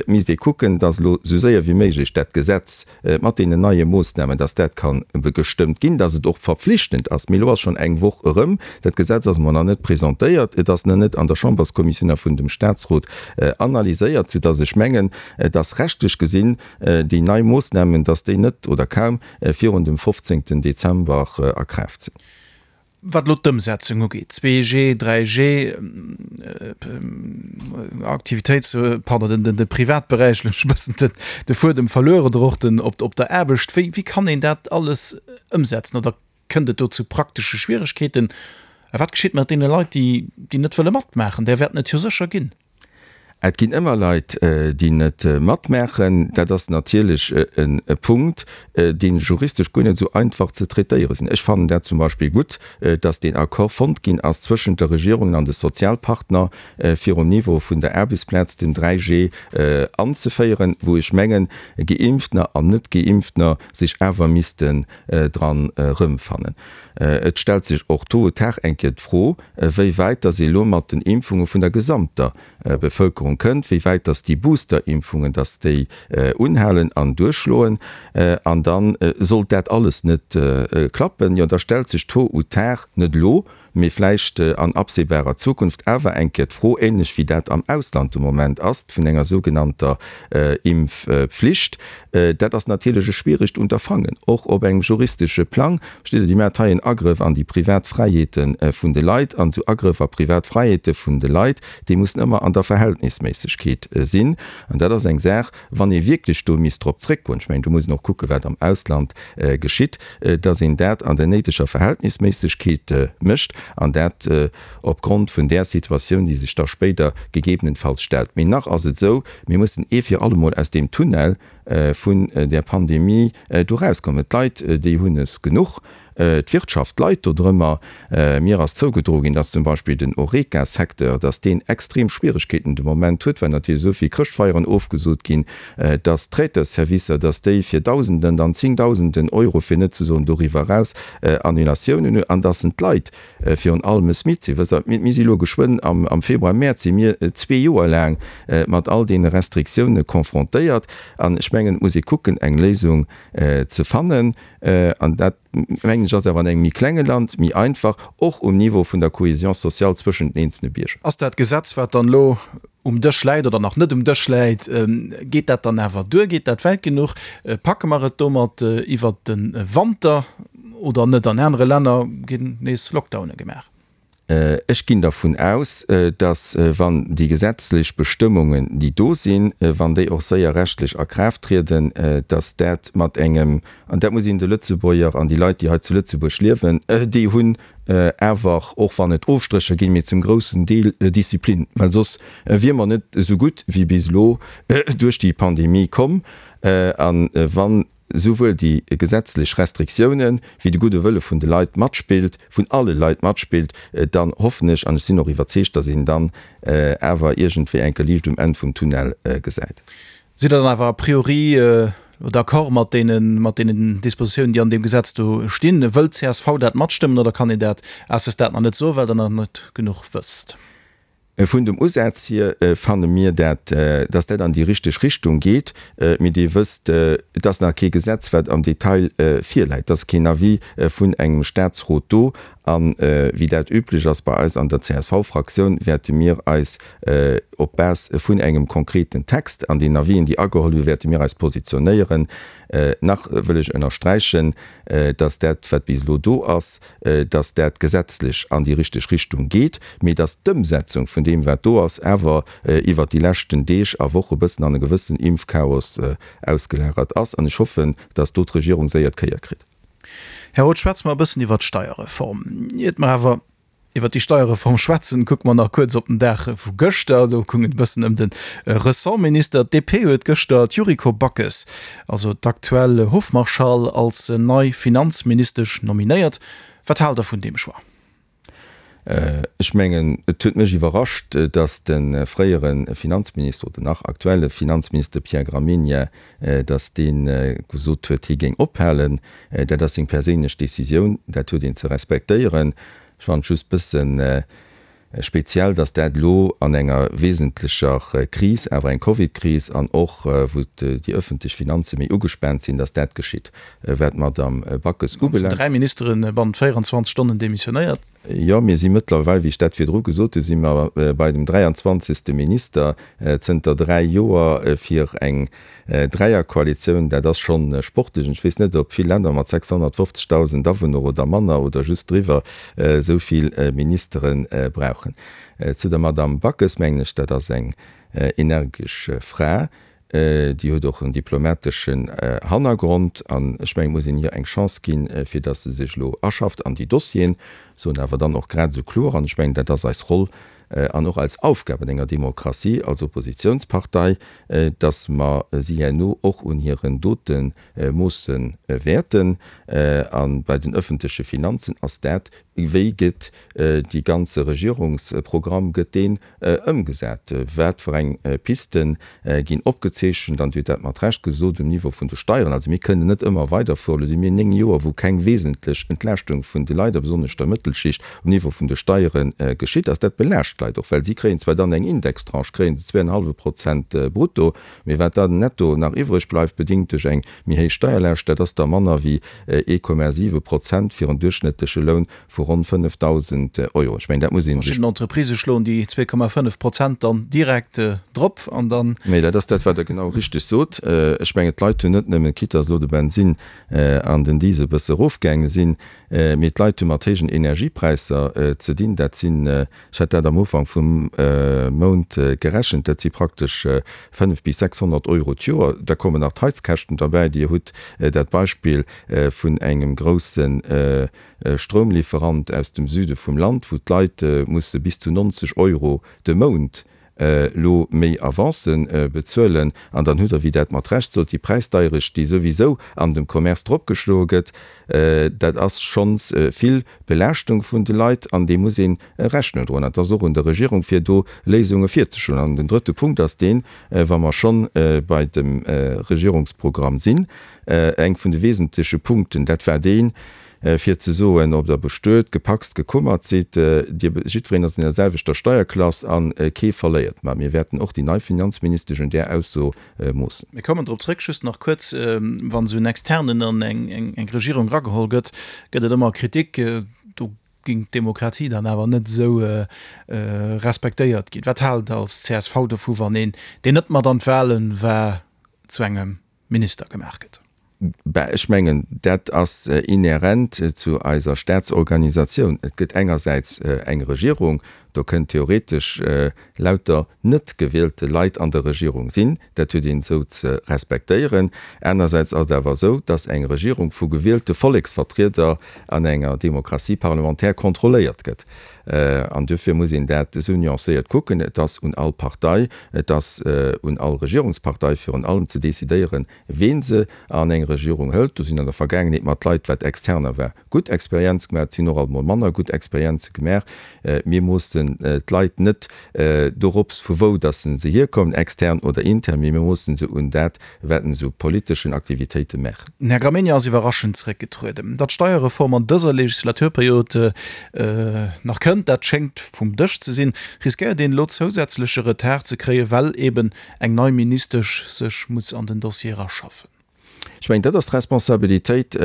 misst ee kucken, dass elo esou séier wéi méiglech dat Gesetz mat deenen neie Moossnamen, dass dat ka gestëmmt ginn, dass et och verpflichtend ass. Mee elo ass schonn eng Woch erëm, dat Gesetz ass mer nach net presentéiert, et ass nach net an der Chamberskommissioun a vun dem Statsrot analyséiert, soudass ech mengen, dass rechtlech gesinn déi nei Moossnamen, dass déi net oder kaum virun dem fofzéngten Dezember a Kraaft sinn. Wat elo d'Ëmsetzung ugeet, zwee G, dräi G, Aktivitéits-, pardon, den de Privatberäich, elo hunn ech e bëssen de Fuedem verluer, oder och den op der Aarbecht, wéi wéi kann een dat alles ëmsetzen oder kënnt et do zu praktesche Schwieregkeeten? A wat geschitt mat deene Leit, déi déi net wëlle matmaachen? Där wäerten et jo sécher ginn. Et ginn ëmmer Leit, déi net matmaachen. Dat ass natierlech e Punkt, dee juristesch guer net esou einfach ze traitéiere sinn. Ech fannen dat zum Beispill gutt, datt deen Accord fonnt ginn ass zwëschent der Regierung an de Sozialpartner, fir um Niveau vun der Aarbechtsplaz den dräi G anzeféieren, wou ech mengen, Geimpftener an Net-Geimpftener sech awer missten dran erëmfannen. Et stellt sech och tôt ou tard eng Kéier d'Fro, wéi wäit datt ee elo mat den Impfunge vun der gesamter Bevëlkerung kënnt, wéi wäit datt déi Booster-Impfungen, datt déi unhalen an duerchschloen. An da sollt dat alles net klappen, jo da stellt sech tôt ou tard, net elo, mee vläicht an absehbarer Zukunft awer eng Kéier d'Fro, ähnlech wéi dat am Ausland de Moment ass, vun enger sougenannter Impfpflicht. Dat ass natierlech e schwieregt Unterfangen, och op engem juristesche Plang. Versteet Der, Dir maacht hei en Agrëff an déi privat Fräiheete vun de Leit. An esou Agrëff a privat Fräiheete vun de Leit, déi mussen ëmmer an der Verhältnisméissegkeet sinn. An dat ass eng Saach, wann ee wierklech do misst drop zréckgoen, ech mengen, do muss een och kucken, wat am Ausland geschitt, dass een dat an der néideger Verhältnisméissegkeet mécht an dat opgrond vun där Situatioun, déi sech da spéider gegebenenfalls stellt. Mee nach ass et esou, mir mussen ee fir allemol aus deem Tunnel vun där Pandemie do erauskommen. D'Leit, déi hunn es genuch. D'Wirtschaft leit dodrëmmer. Mir ass zougedroe ginn, dass zum Beispill den Horeca-Secteur, dass deen extrem Schwieregkeeten de Moment huet, well natierlech esou vill Chrëschtfeieren ofgesot ginn, dass d'Traiteur-Servicer, dass déi fir Dausenden an Zéngdausenden Euro, fir net ze soen doriwwer eraus, Annulatiounen hunn an dass en d'Leit virun allem es midd sinn. Wësst Der, mir si elo geschwënn am Februar, Mäerz si mir zwee Joer laang mat all deene Restriktioune confrontéiert an ech mengen, et muss ee kucken, eng Léisung ze fannen. An dat, mengen ech, ass awer an engem méi klenge Land méi einfach, och um Niveau vun der Cohésion sociale zwëschent den eenzelne Bierger. Ass dat Gesetz, wat dann elo um Dësch läit oder nach net um Dësch läit, geet dat dann awer duer? Geet dat wäit genuch? Packe mer et domat iwwert de Wanter oder net? An anere Länner ginn nees Lockdowne gemaach. Ech ginn dervun aus, dass, wann déi gesetzlech Bestëmmungen, déi do sinn, wann déi och séier rechtlech a Kraaft trieden, dass dat mat engem, an dat muss een de Lëtzebuerger an déi Leit, déi hei zu Lëtzebuerg liewen, déi hunn awer, och wann et Ofstrécher ginn, mee zum groussen Deel Disziplin, well soss wier mer net esou gutt wéi bis elo duerch déi Pandemie komm. A wann souwuel déi gesetzlech Restriktiounen wéi de gudde Wëlle vun de Leit matspillt, vun alle Leit matspillt, dann hoffen ech an ech sinn och iwwerzeegt, dass een dann awer iergendwéi enke Liicht um Enn vum Tunnel gesäit. Sidd Der dann awer a priori d'accord mat deenen, mat deenen Dispositiounen, déi an deem Gesetz do stinn? Wëllt d'CSV dat matstëmmen oder kann een dat à ce stade nach net soen, well Der nach net genuch wësst? Vun dem Usaz hier fanne mir dat, dass dat an déi richteg Richtung geet. Mee Dir wësst, et ass nach kee Gesetz, wat am Detail virläit. Et ass keen Avis vun engem Statsrot do. A wéi dat üblech ass bei eis an der C S V-Fraktioun, wäerte mir eis op Base vun engem konkreten Text an den Avisen, déi ageholl hunn, wäerte mir eis positionéieren. Nach wëll ech ënnersträichen, dass dat, wat bis elo do ass, dass dat gesetzlech an déi richteg Richtung geet, mee dass d'Ëmsetzung vun deem, wat do ass, awer iwwert déi leschten Deeg a Woche bëssen an e gewëssen Impfchaos ausgelagert ass. An ech hoffen, dass do d'Regierung séier d'Kéier kritt. Här Roth, schwätze mer e bëssen iwwert d'Steierreform. Iert mer awer iwwert déi Steierreform schwätzen, kucke mer nach kuerz op den Dag vu gëschter. Do goung et e bëssen ëm de Ressortminister. D P huet gëschter d'Yuriko Backes, also d'aktuell Hofmarschall, als nei Finanzministesch nominéiert. Wat haalt Der vun deem Choix? Ech mengen, et huet mech iwwerrascht, datt de fréiere Finanzminister oder nach aktuelle Finanzminister Pierre Gramegna, datt dee gesot huet, hie géing ophalen. Dat ass seng perséinlech Decisioun, dat huet een ze respektéieren. Ech fannen et just bëssen speziell, datt dat elo an enger wesentlecher Kris, awer eng Covid-Kris, an och wou déi ëffentlech Finanze méi ugespaant sinn, datt dat geschitt. Wat d'Madame Backes ubelaangt. Dräi Ministere bannent véierenzwanzeg Stonnen demissionéiert. Jo, mir si mëttlerweil, wéi ech dat virdru gesot hunn, si mer bei dem dräianzwanzegste Minister zënter dräi Joer fir eng Dräierkoalitioun. Dat ass schonn sportlech. Ech weess net, ob vill Länner mat sechshonnertfofzegdausend Awunner oder manner oder just driwwer esou vill Ministere brauchen. Zu der Madamm Backes mengen ech, dat ass eng energesch Fra. Déi huet och en diplomateschen Hannergrond an ech mengen, et muss een hir eng Chance ginn, fir datt se sech elo aschafft an déi Dossieren, soen awer dann och grad esou kloer, an ech mengen, dat ass eis Roll an och eis Aufgab an enger Demokratie als Oppositionspartei, datt mer si herno och un hiren Dote moosse wäerten. A bei den öffentleche Finanzen ass dat, wéi gëtt dee ganze Regierungsprogramm, gëtt deen ëmgesat, wat fir eng Piste ginn opgezeechent, an Dir hutt dat mat Recht gesot, um Niveau vun de Steieren. Also mir kënnen net ëmmer weiderfueren, elo si mir néng Joer, wou keng wesentlech Entlaaschtung vun de Leit, a besonnesch der Mëttelschicht, um Niveau vun de Steiere geschitt ass. Dat belaascht d'Leit och, well si kréien zwar dann eng Indextranche, kréien se zwee an e hallwe Prozent brutto, mee wat dann netto nach iwwreg bleift, bedéngt duerch eng méi héich Steierlaascht, dat ass da manner wéi ee Komma siwe Prozent fir en duerchschnëttleche Loun vu ronn fënnefdausend Euro. Ech mengen, dat muss ee sech. Verschidden Entreprisë schloen déi zwee Komma fënnef Prozent dann direkt drop an dann. Mee dat ass dat, wat Der genau richteg sot. Ech mengen, d'Leit hunn net nëmmen, quitte dass elo de Bensinn an den Diesel e bësse erofgaange sinn, mee d'Leit hu mat héijen Energiepräisser ze dinn. Dat sinn, ech hat dat am Ufank vum Mount gerechent, dat si praktesch fënnef bis sechshonnert Euro d'Joer. Da kommen nach d'Heizkäschten derbäi. Dir hutt dat Beispill vun engem grousse Stroumlieferant aus dem Süde vum Land, wou d'Leit musse bis zu neunzeg Euro de Mount elo méi Avancen bezuelen. An dann hutt Der, wéi dat mat Recht sot, déi Präisdeierecht, déi souwisou an dem Commerce dropgeschloe gëtt. Dat ass schonns vill Belaaschtung vun de Leit an deem muss ee Rechnung droen. An et ass och un der Regierung, fir do Léisunge virzeschloen. An den drëtte Punkt ass deen, wa mer schonn bei dem Regierungsprogramm sinn, eng vun de wesentleche Punkten, dat war deen, fir ze soen, ob Der bestuet, gepacst, gekummert sidd, Dir, jiddwereen ass an der selwechter Steierklass a kee verléiert. Mä mir wäerten och déi nei Finanzministesch un där Ausso moossen. Mir kommen drop zrëck. Just nach kuerz, Wann esou en Externen an eng Regierung erageholl gëtt, gëtt et ëmmer Kritik, do géing d'Demokratie dann awer net esou respektéiert ginn. Wat haalt Der als C S V dovu, wann een, deen net mat an d'Wahlen war, zu engem Minister gemaach gëtt? Ben, ech mengen, dat ass inhärent zu eiser Staatsorganisatioun. Et gëtt engersäits eng Regierung, do kënnen theoretesch lauter net gewielte Leit an der Regierung sinn, dat huet een esou ze respektéieren. Anersäits ass et awer esou, dass eng Regierung vu gewielte Volleksvertrieder an enger Démocratie parlementaire kontrolléiert gëtt. An duerfir muss een dat esou nuancéiert kucken. Et ass un all Partei, et ass un all Regierungspartei virun allem ze decidéieren, ween se an eng Regierung hëlt. Do sinn an der Vergaangenheet mat Leit, wat Externer war, gutt Experienz gemaach, et sinn och alt mol manner gutt Experienze gemaach. Mir moossen d'Leit net dorops, vu wou dass se hierkommen, extern oder intern, mee mir moossen se un dat, wat se u politeschen Aktivitéite maachen. Den Här Gramegna ass iwwerraschend zeréckgetrueden. Datt d'Steierreform an dëser Legislaturperiod nach kënnt, dat schéngt vum Dësch ze sinn. Riskéiert een elo zousätzleche Retard ze kréien, well eben eng nei Ministesch sech muss an den Dossier eraschaffen? Ech mengen, dat ass d'Responsabilitéit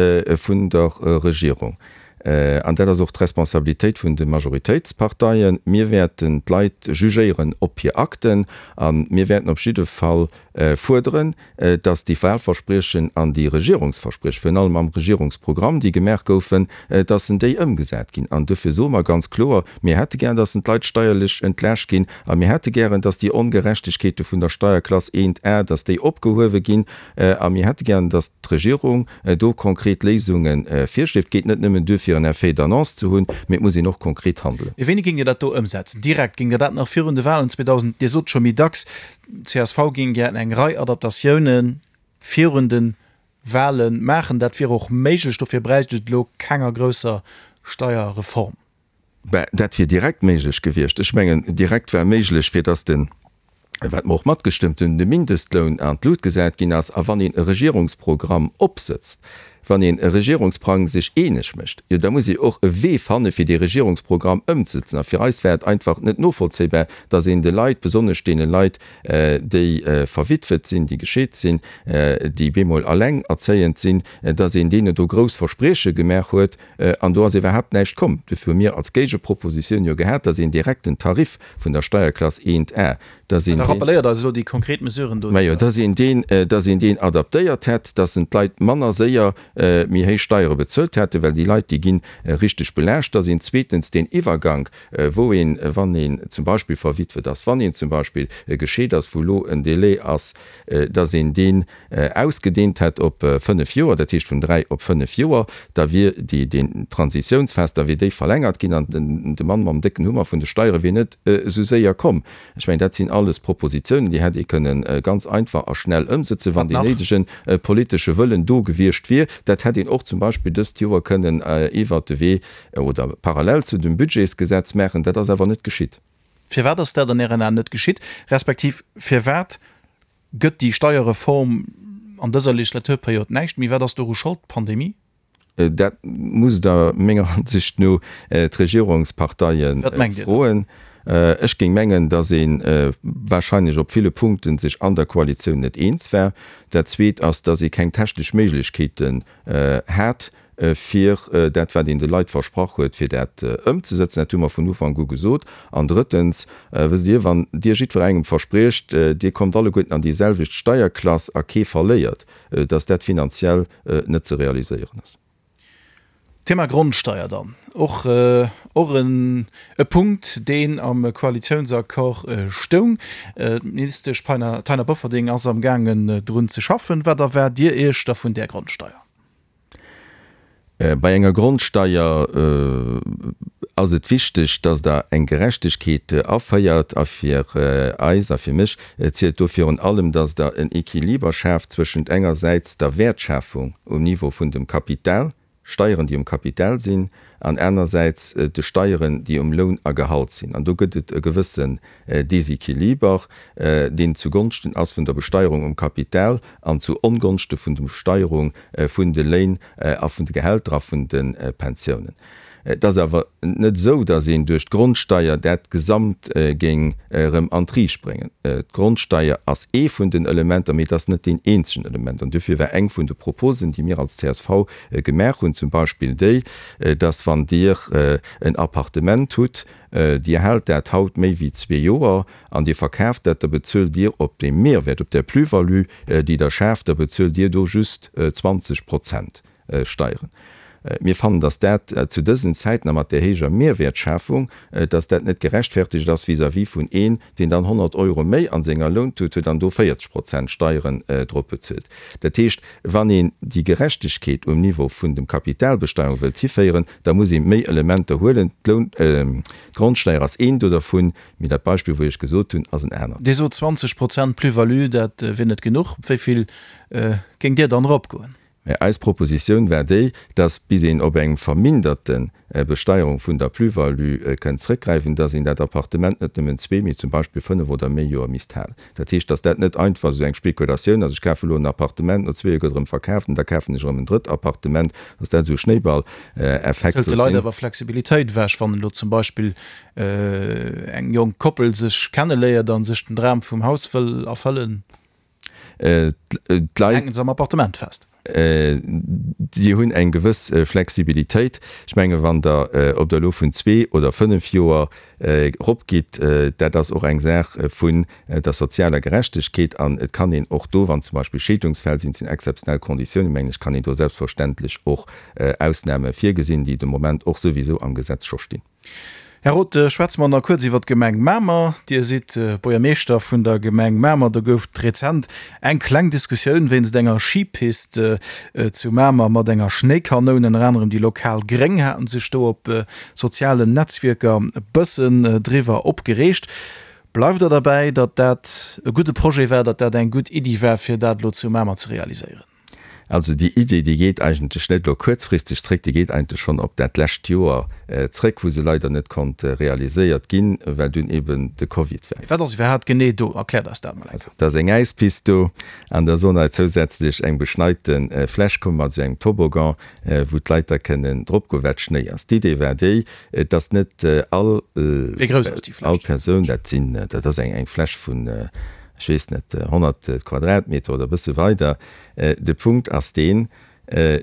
vun der Regierung. An dat ass och d'Responsabilitéit vun de Majoritéitsparteien. Mir wäerten d'Leit jugéieren op hir Akten a mir wäerten op jidde Fall fuerderen, datt déi Wahlverspriechen an déi Regierungsverspriechen, virun allem am Regierungsprogramm, déi gemaach goufen, datt en déi ëmgesat ginn. An dofir soe mer ganz kloer, Mir hätte gären, datt en d'Leit steierlech entlaascht ginn a mir hätte gären, datt déi Ongerechtegkeete vun der Steierklass eent A, datt déi opgehuewe ginn a mir hätte gären, datt d'Regierung do konkret Léisunge virschléit. Et geet net nëmmen duer, fir en Effet d'annonce ze hunn, mee et muss een och konkret handelen. Wéini géingt Dir dat do ëmsetzen? Direkt? Géingt Dir dat nach virun de Wahlen zweedausend, Dir sot scho méi dacks, d'CSV géing gär eng Rei Adaptatioune virun de Wahle maachen. Dat wier och méiglech, dofir bräicht et elo kenger grousser Steierreform. Ben, dat wier direkt méiglech gewiescht. Ech mengen, direkt war méiglech, fir datt den, wat mer och matgestëmmt hunn, de Mindestloun an d'Lut gesat ginn ass. A wann een e Regierungsprogramm opsëtzt, wann een e Regierungsprang sech eeneg mécht, jo da muss ee och e Wee fanne fir dee Regierungsprogramm ëmzesetzen. A fir eis war et einfach net novollzéibar, datt een de Leit, besonnesch deene Leit, déi verwitwet sinn, déi gescheet sinn, déi bemol alengerzéiend sinn, datt een deene do grouss Versprieche gemaach huet an do ass iwwerhaapt näischt komm. Dofir hu mir als Géigepropositioun jo gehat, datt een direkt den Tarif vun der Steierklass eent A, datt een Da deen, rappelléiert eis elo déi konkret Mesuren do, déi majo, Der. datt een deen, datt een deen adaptéiert hätt, datt en d'Leit manner séier méi héich Steiere bezuelt hätten, well déi Leit, déi gi richteg belaascht. Datt een zweetens deen Iwwergank, wou een, wann een zum Beispill verwitwet ass, wann een zum Beispill gescheet ass, wou elo en Délai ass, datt een deen ausgedehnt hätt op fënnef Joer, dat heescht vun dräi op fënnef Joer, da wier déi, déi Transitiounsphas, da wier déi verlängert ginn an de Mann mam décken Hummer vun de Steiere wier net esou séier komm. Ech mengen, dat sinn alles Propositionen, déi hätt ee kënnen ganz einfach a schnell ëmsëtzen, wann Wat deen nach? néidege politesche Wëllen do gewiescht wier. Dat hätt een och zum Beispill dëst Joer kënnen iwwert de Wee oder parallel zu dem Budgetsgesetz maachen. Dat ass awer net geschitt. Firwat ass dat an Ären Aen net geschitt, respektiv firwat gëtt déi Steierreform an dëser Legislaturperiod näischt méi? Wat ass doru Schold? D'Pandemie? Dat musst Der menger Ansicht no d'Regierungsparteie Wat mengt Dir da? froen. Ech géing mengen, datt ee wahrscheinlech op ville Punkte sech an der Koalitioun net eens war. Dat Zweet ass, datt ee keng technesch Méiglechkeeten hat, fir dat, wat een de Leit versprach huet, fir dat ëmzesetzen. Dat hu mer vun Ufank u gesot. An drëttens, wësst Dir, wann Dir jiddwerengem verspriecht, Dir kommt alleguerten an déi selwecht Steierklass a kee verléiert, datt dat finanziell net ze realiséieren ass. Thema Grondsteier dann, och och en e Punkt, deen am Koalitiounsaccord stoung. D'Ministesch Taina Bofferding ass am gaangen drun ze schaffen. Wat erwaart Dir Iech da vun där Grondsteier? Bei enger Grondsteier ass et wichteg, dass Der eng Gerechtegkeet aféiert. A fir eis a fir mech zielt do virun allem, dass Der en Equiliber schaaft zwëschent engersäits der Wäertschafung um Niveau vun dem Kapital, Steieren, déi um Kapital sinn, an anersäits de Steieren, déi um Loun a Gehalt sinn. An do gëtt et e gewëssen Desequiliber, deen zugonschten ass vun der Besteierung um Kapital an zu Ongonschte vun der Besteierung vun de Léin a vun de Gehälter a vun de Pensiounen. Et ass awer net esou, datt een duerch d'Grondsteier dat Gesamt géing erëm an d'Riicht bréngen. D'Grondsteier ass ee vun den Elementer, mee et ass net deen eenzegen Element. An duerfir war eng vun de Proposen, déi mir als csv gemaach hunn, zum Beispill déi, datt wann Dir en Appartement hutt, Dir haalt dat haut méi wéi zwee Joer an Dir verkaaft dat, da bezuelt Dir op deem Mehrwert, op där Plus-value, déi Der schaaft, da bezuelt Dir do just zwanzeg Prozent Steieren. Mir fannen, dass dat zu dësen Zäiten a mat där héijer Mehrwäertschafung, dass dat net gerechtfertigt ass vis-à-vis vun een, deen dann honnert Euro méi an senger Lountut huet an do véierzeg Prozent Steieren drop bezuelt. Dat heescht, wann een déi Gerechtegkeet um Niveau vun dem Kapitalbesteierung wëllt hiféieren, da muss ee méi Elementer huelen. D'Loun, d'Grondsteier ass eent do dervun, mee dat Beispill, wou ech gesot hunn, ass en anert. Dir sot zwanzeg Prozent Plus-value, dat wier net genuch. Op wéi vill géingt Dir dann eropgoen? Mä eis Propositioun war déi, dass bis een op eng verminderte Besteierung vun der Plus-value kënnt zrëckgräifen, dass een dat Appartement net nëmmen zwee, mee zum Beispill fënnef oder méi Joer misst halen. Dat heescht, dass dat net einfach esou eng Spekulatioun ass, ech kafe elo en Appartement, no zwee Joer gëtt erëm verkaaft an da kafen ech erëm en drëtt Appartement, dass dat esou e Schnéiballeffekt Hëlt de sollt Leit sinn. awer Flexibilitéit ewech, wann elo zum Beispill eng jonk Koppel sech kenneléiert a sech den Dram vum Haus wëll erfëllen? D'Leit. Hänken se am Appartement fest. Déi hunn eng gewëss Flexibilitéit. Ech menge wann Der, ob Der elo vun zwee oder fënnef Joer eropgitt, dat ass och eng Saach vun der sozialer Gerechtegkeet. An et kann een och do, wann zum Beispill Scheedungsfäll sinn, et sinn exzeptionell Konditiounen, mengen ech, kann een do selbstverständlech och Ausname virgesinn, déi de Moment och souwisou am Gesetz scho stinn. Här Roth, schwätze mer nach kuerz iwwer d'Gemeng Mamer. Dir sidd Buergermeeschter vun der Gemeng Mamer. Do gouf et rezent eng kleng Diskussioun wéinst enger Schipist zu Mamer mat enger Schnéikanoun. Ënner anerem déi lokal Gréng haten sech do op sozialen Netzwierker e bëssen driwwer opgereegt. Bleift Der derbäi, datt dat e gudde Projet war, datt dat eng gutt Iddi war, fir dat elo zu Mamer ze realiséieren? Also déi Idee, déi geet eigentlech net elo kuerzfristeg zréck, déi geet eigentlech schonn op dat lescht Joer zréck, wou se leider net konnt realiséiert ginn, well dunn eben de Covid war. Wat ass iwwerhaapt genee do? Erkläert eis dat mol eng Also et ass eng Äispist do an da soll nei zousätzlech eng beschneite Fläch komme mat esou engem Toboggan, wou d'Leit da kënnen drop goen, wat Schnéi ass. D'Idee war déi, dass net all Wéi grouss ass déi all Fläch? Persoun, dat sinn, dat ass eng eng Fläch vun, ech weess net, honnert Quadratmeter oder e bësse weider. De Punkt ass deen,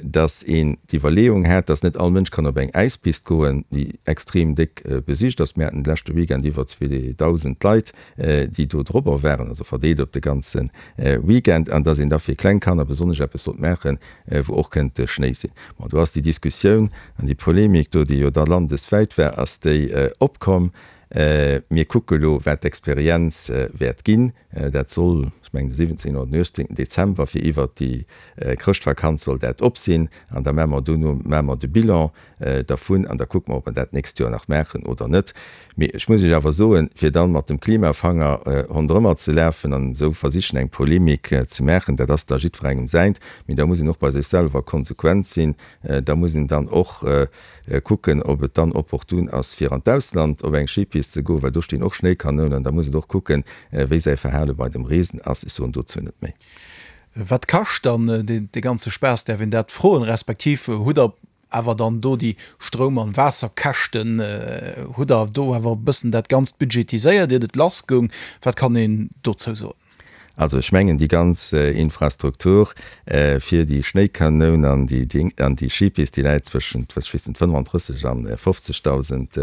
dass een d'Iwwerleeung hat, dass net all Mënsch kann op eng Äispist goen, déi extrem déck besicht ass. Mir haten de leschte Weekend iwwer zweedausend Leit, déi do dorobber waren, also verdeelt op de ganze Weekend, an dass een da fir kleng Kanner besonnesch eppes sollt maachen, wou och kënnt Schnéi sinn. Bon, do ass déi Diskussioun an déi Polemik do, déi jo da landeswäit war, ass déi opkomm. Mir kucke lo, wat d'Experienz wäert ginn. Dat soll, ech mengen, de siwwenzéngten oder den uechtzéngten Dezember, fir iwwert déi Chrëschtvakanz soll dat op sinn. An da maache mer dono maache mer de Bilan dervun an da kucke mer, ob mer dat d'nächst Joer nach maachen oder net. Mee ech muss Iech awer soen, fir dann mat dem Klimafanger ronderëmmer ze lafen an esou versichen, eng Polemik ze maachen, dat ass da jiddwerengem säint. Mee da muss een och bei sech selwer konsequent sinn. Da muss een dann och kucken, ob et dann opportun ass, fir an d'Ausland op eng Schipist ze goen, well do stinn och Schnéikanounen. Da muss een och kucken, wéi säi Verhale bei dem Reesen ass. Ech soen dozou net méi. Wat kascht dann dee ganze Spaass, däerf een dat froen? Respektiv hutt Der awer dann do déi Stroum an Waasserkäschten, hutt Der do awer e bëssen dat Ganzt budgetiséiert, iert et lassgoung? Wat kann een dozou soen? Also ech mengen déi ganz Infrastruktur fir déi Schnéikanoun an déi Ding an déi Skipist, déi läit zwëschent, ech weess net, fënnefanddrësseg an fofzegdausend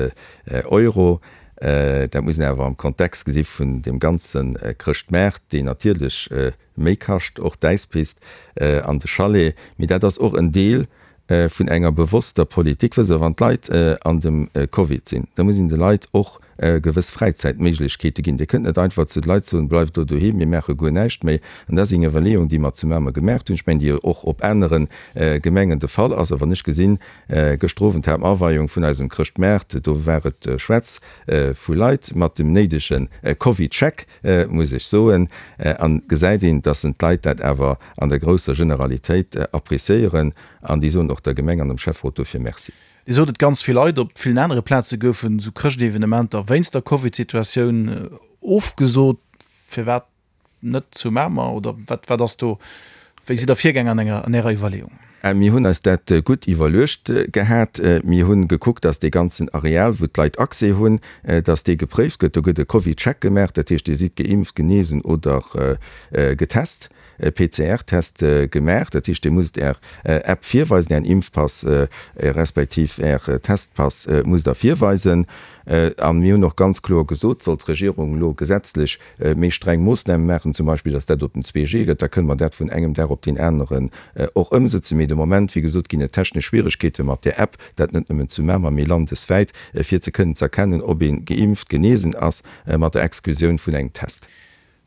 Euro. Dat muss een awer am Kontext gesi vun deem ganze Chrëschtmaart, deen natierlech méi kascht, och d'Äispist an de Chalet. Mee dat ass och en Deel vun enger bewosster Politik. Wësst Der, wann d'Leit an dem Covid sinn, da muss een de Leit och gewëss Fräizäitméiglechkeete ginn. Dir kënnt net einfach zu de Leit soen, Bleift do doheem, mir maache guer näischt méi. An dat ass eng Iwwerleeung, déi mer zu Mamer gemaacht hunn, ech mengen, déi och op anere Gemengen de Fall ass. A wann ech gesinn, gëschter Owend hat mer Aweiung vun eisem Chrëschtmaart, do war et schwätz vu Leit mat dem néidege Covid-Check, muss ech soen, an gesäit een, dass en d'Leit dat awer an der grousser Generalitéit appréciéieren an déi soen och der Gemeng an dem Schäfferot dofir Merci. Dir sot et, ganz vill Leit op villen anere Plaze goufen esou Chrëschtevenementer wéinst der Covid-Situatioun ofgesot. Firwat net zu Mamer? Oder wat, wat ass do, wéi sidd Der virgaang an enger, an Ärer Iwwerleeung? Mir hunn eis dat gutt iwwerluecht gehat. Mir hunn gekuckt, dass dee ganzen Areal, wou d'Leit Accès hunn, dass dee gepréift gëtt. Do gëtt e CovidCheck gemaach, dat heescht, Dir sidd geimpft, genesen oder getest, e PCR-Test gemaach. Dat heescht, Dir musst Är App virweisen, Ären Impfpass respektiv Är Testpass musst Der virweisen. A mir hunn och ganz kloer gesot, sollt d'Regierung elo gesetzlech méi streng Moossname maachen, zum Beispill datt dat op den zwee G gëtt, da kënne mer dat vun engem Dag op deen aneren och ëmsëtzen. Mee de Moment, wéi gesot, ginn et technesch Schwieregkeete mat där App, dat net nëmmen zu Mamer, mee landeswäit, fir ze kënnen z'erkennen, ob ee geimpft, genesen ass, mat der Exklusioun vun engem Test.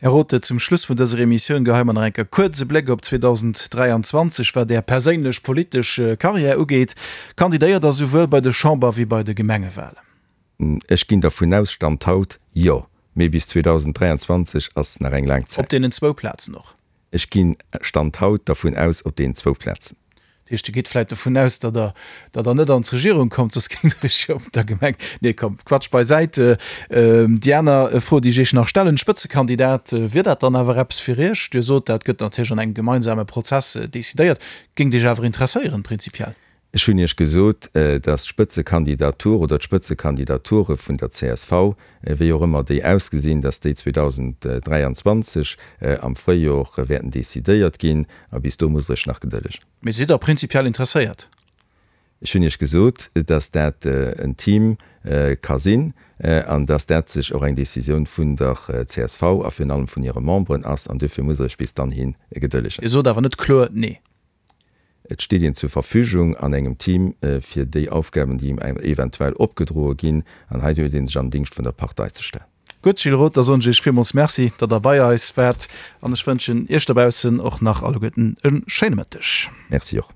Här Rothe, zum Schluss vun dëser Emissioun geheie mer nach eng Kéier kuerz e Bléck op zweedausend dräianzwanzeg wat Är perséinlech politesch Karriär ugeet. Kandidéiert Der souwuel bei de Chamber wéi bei de Gemengewalen? Ech ginn dervun aus, Stand haut, jo. Mee bis zweedausend dräianzwanzeg ass nach eng laang Op Zäit. deenen zwou Plazen och? Ech ginn Stand haut dervun aus, op deenen zwou Plazen. Dat heescht, Dir gitt vläicht dovun aus, datt Der, datt Der net an d'Regierung kommt, soss géingt Der Iech jo op der Gemeng. Nee, komm, Quatsch beisäit. Déi aner Fro, déi ech Iech nach stellen, Spëtzekandidat, wier dat dann awer eppes fir Iech? Dir sot, dat gëtt natierlech an engem gemeinsame Prozess decidéiert. Géingt Iech awer interesséieren, prinzipiell? Ech hunn Iech gesot, dass d'Spëtzekandidatur oder d'Spëtzekandidature vun der C S V, wéi och ëmmer déi ausgesinn, dass déi zweedausend dräianzwanzeg am Fréijor wäerten decidéiert ginn. A bis do musst Der Iech nach gedëllegen. Mee sidd Der prinzipiell interesséiert? Ech hunn Iech gesot, dass dat en Team ka sinn an dass dat sech och eng Decisioun vun der C S V a virun allem vun hire Memberen ass. An duerfir musst Der Iech bis dann hi gedëllegen. Dir sot awer net kloer Nee. Et steet een zur Verfügung an engem Team fir déi Aufgaben, déi em eventuell opgedroe ginn, an hei huet ee sech an den Dingscht vun der Partei ze stellen. Gutt, Gilles Roth, da soen ech Iech villmools Merci, datt Der bei eis waart, an ech wënschen Iech dobaussen och nach alleguerten e schéine Mëtteg. Merci och.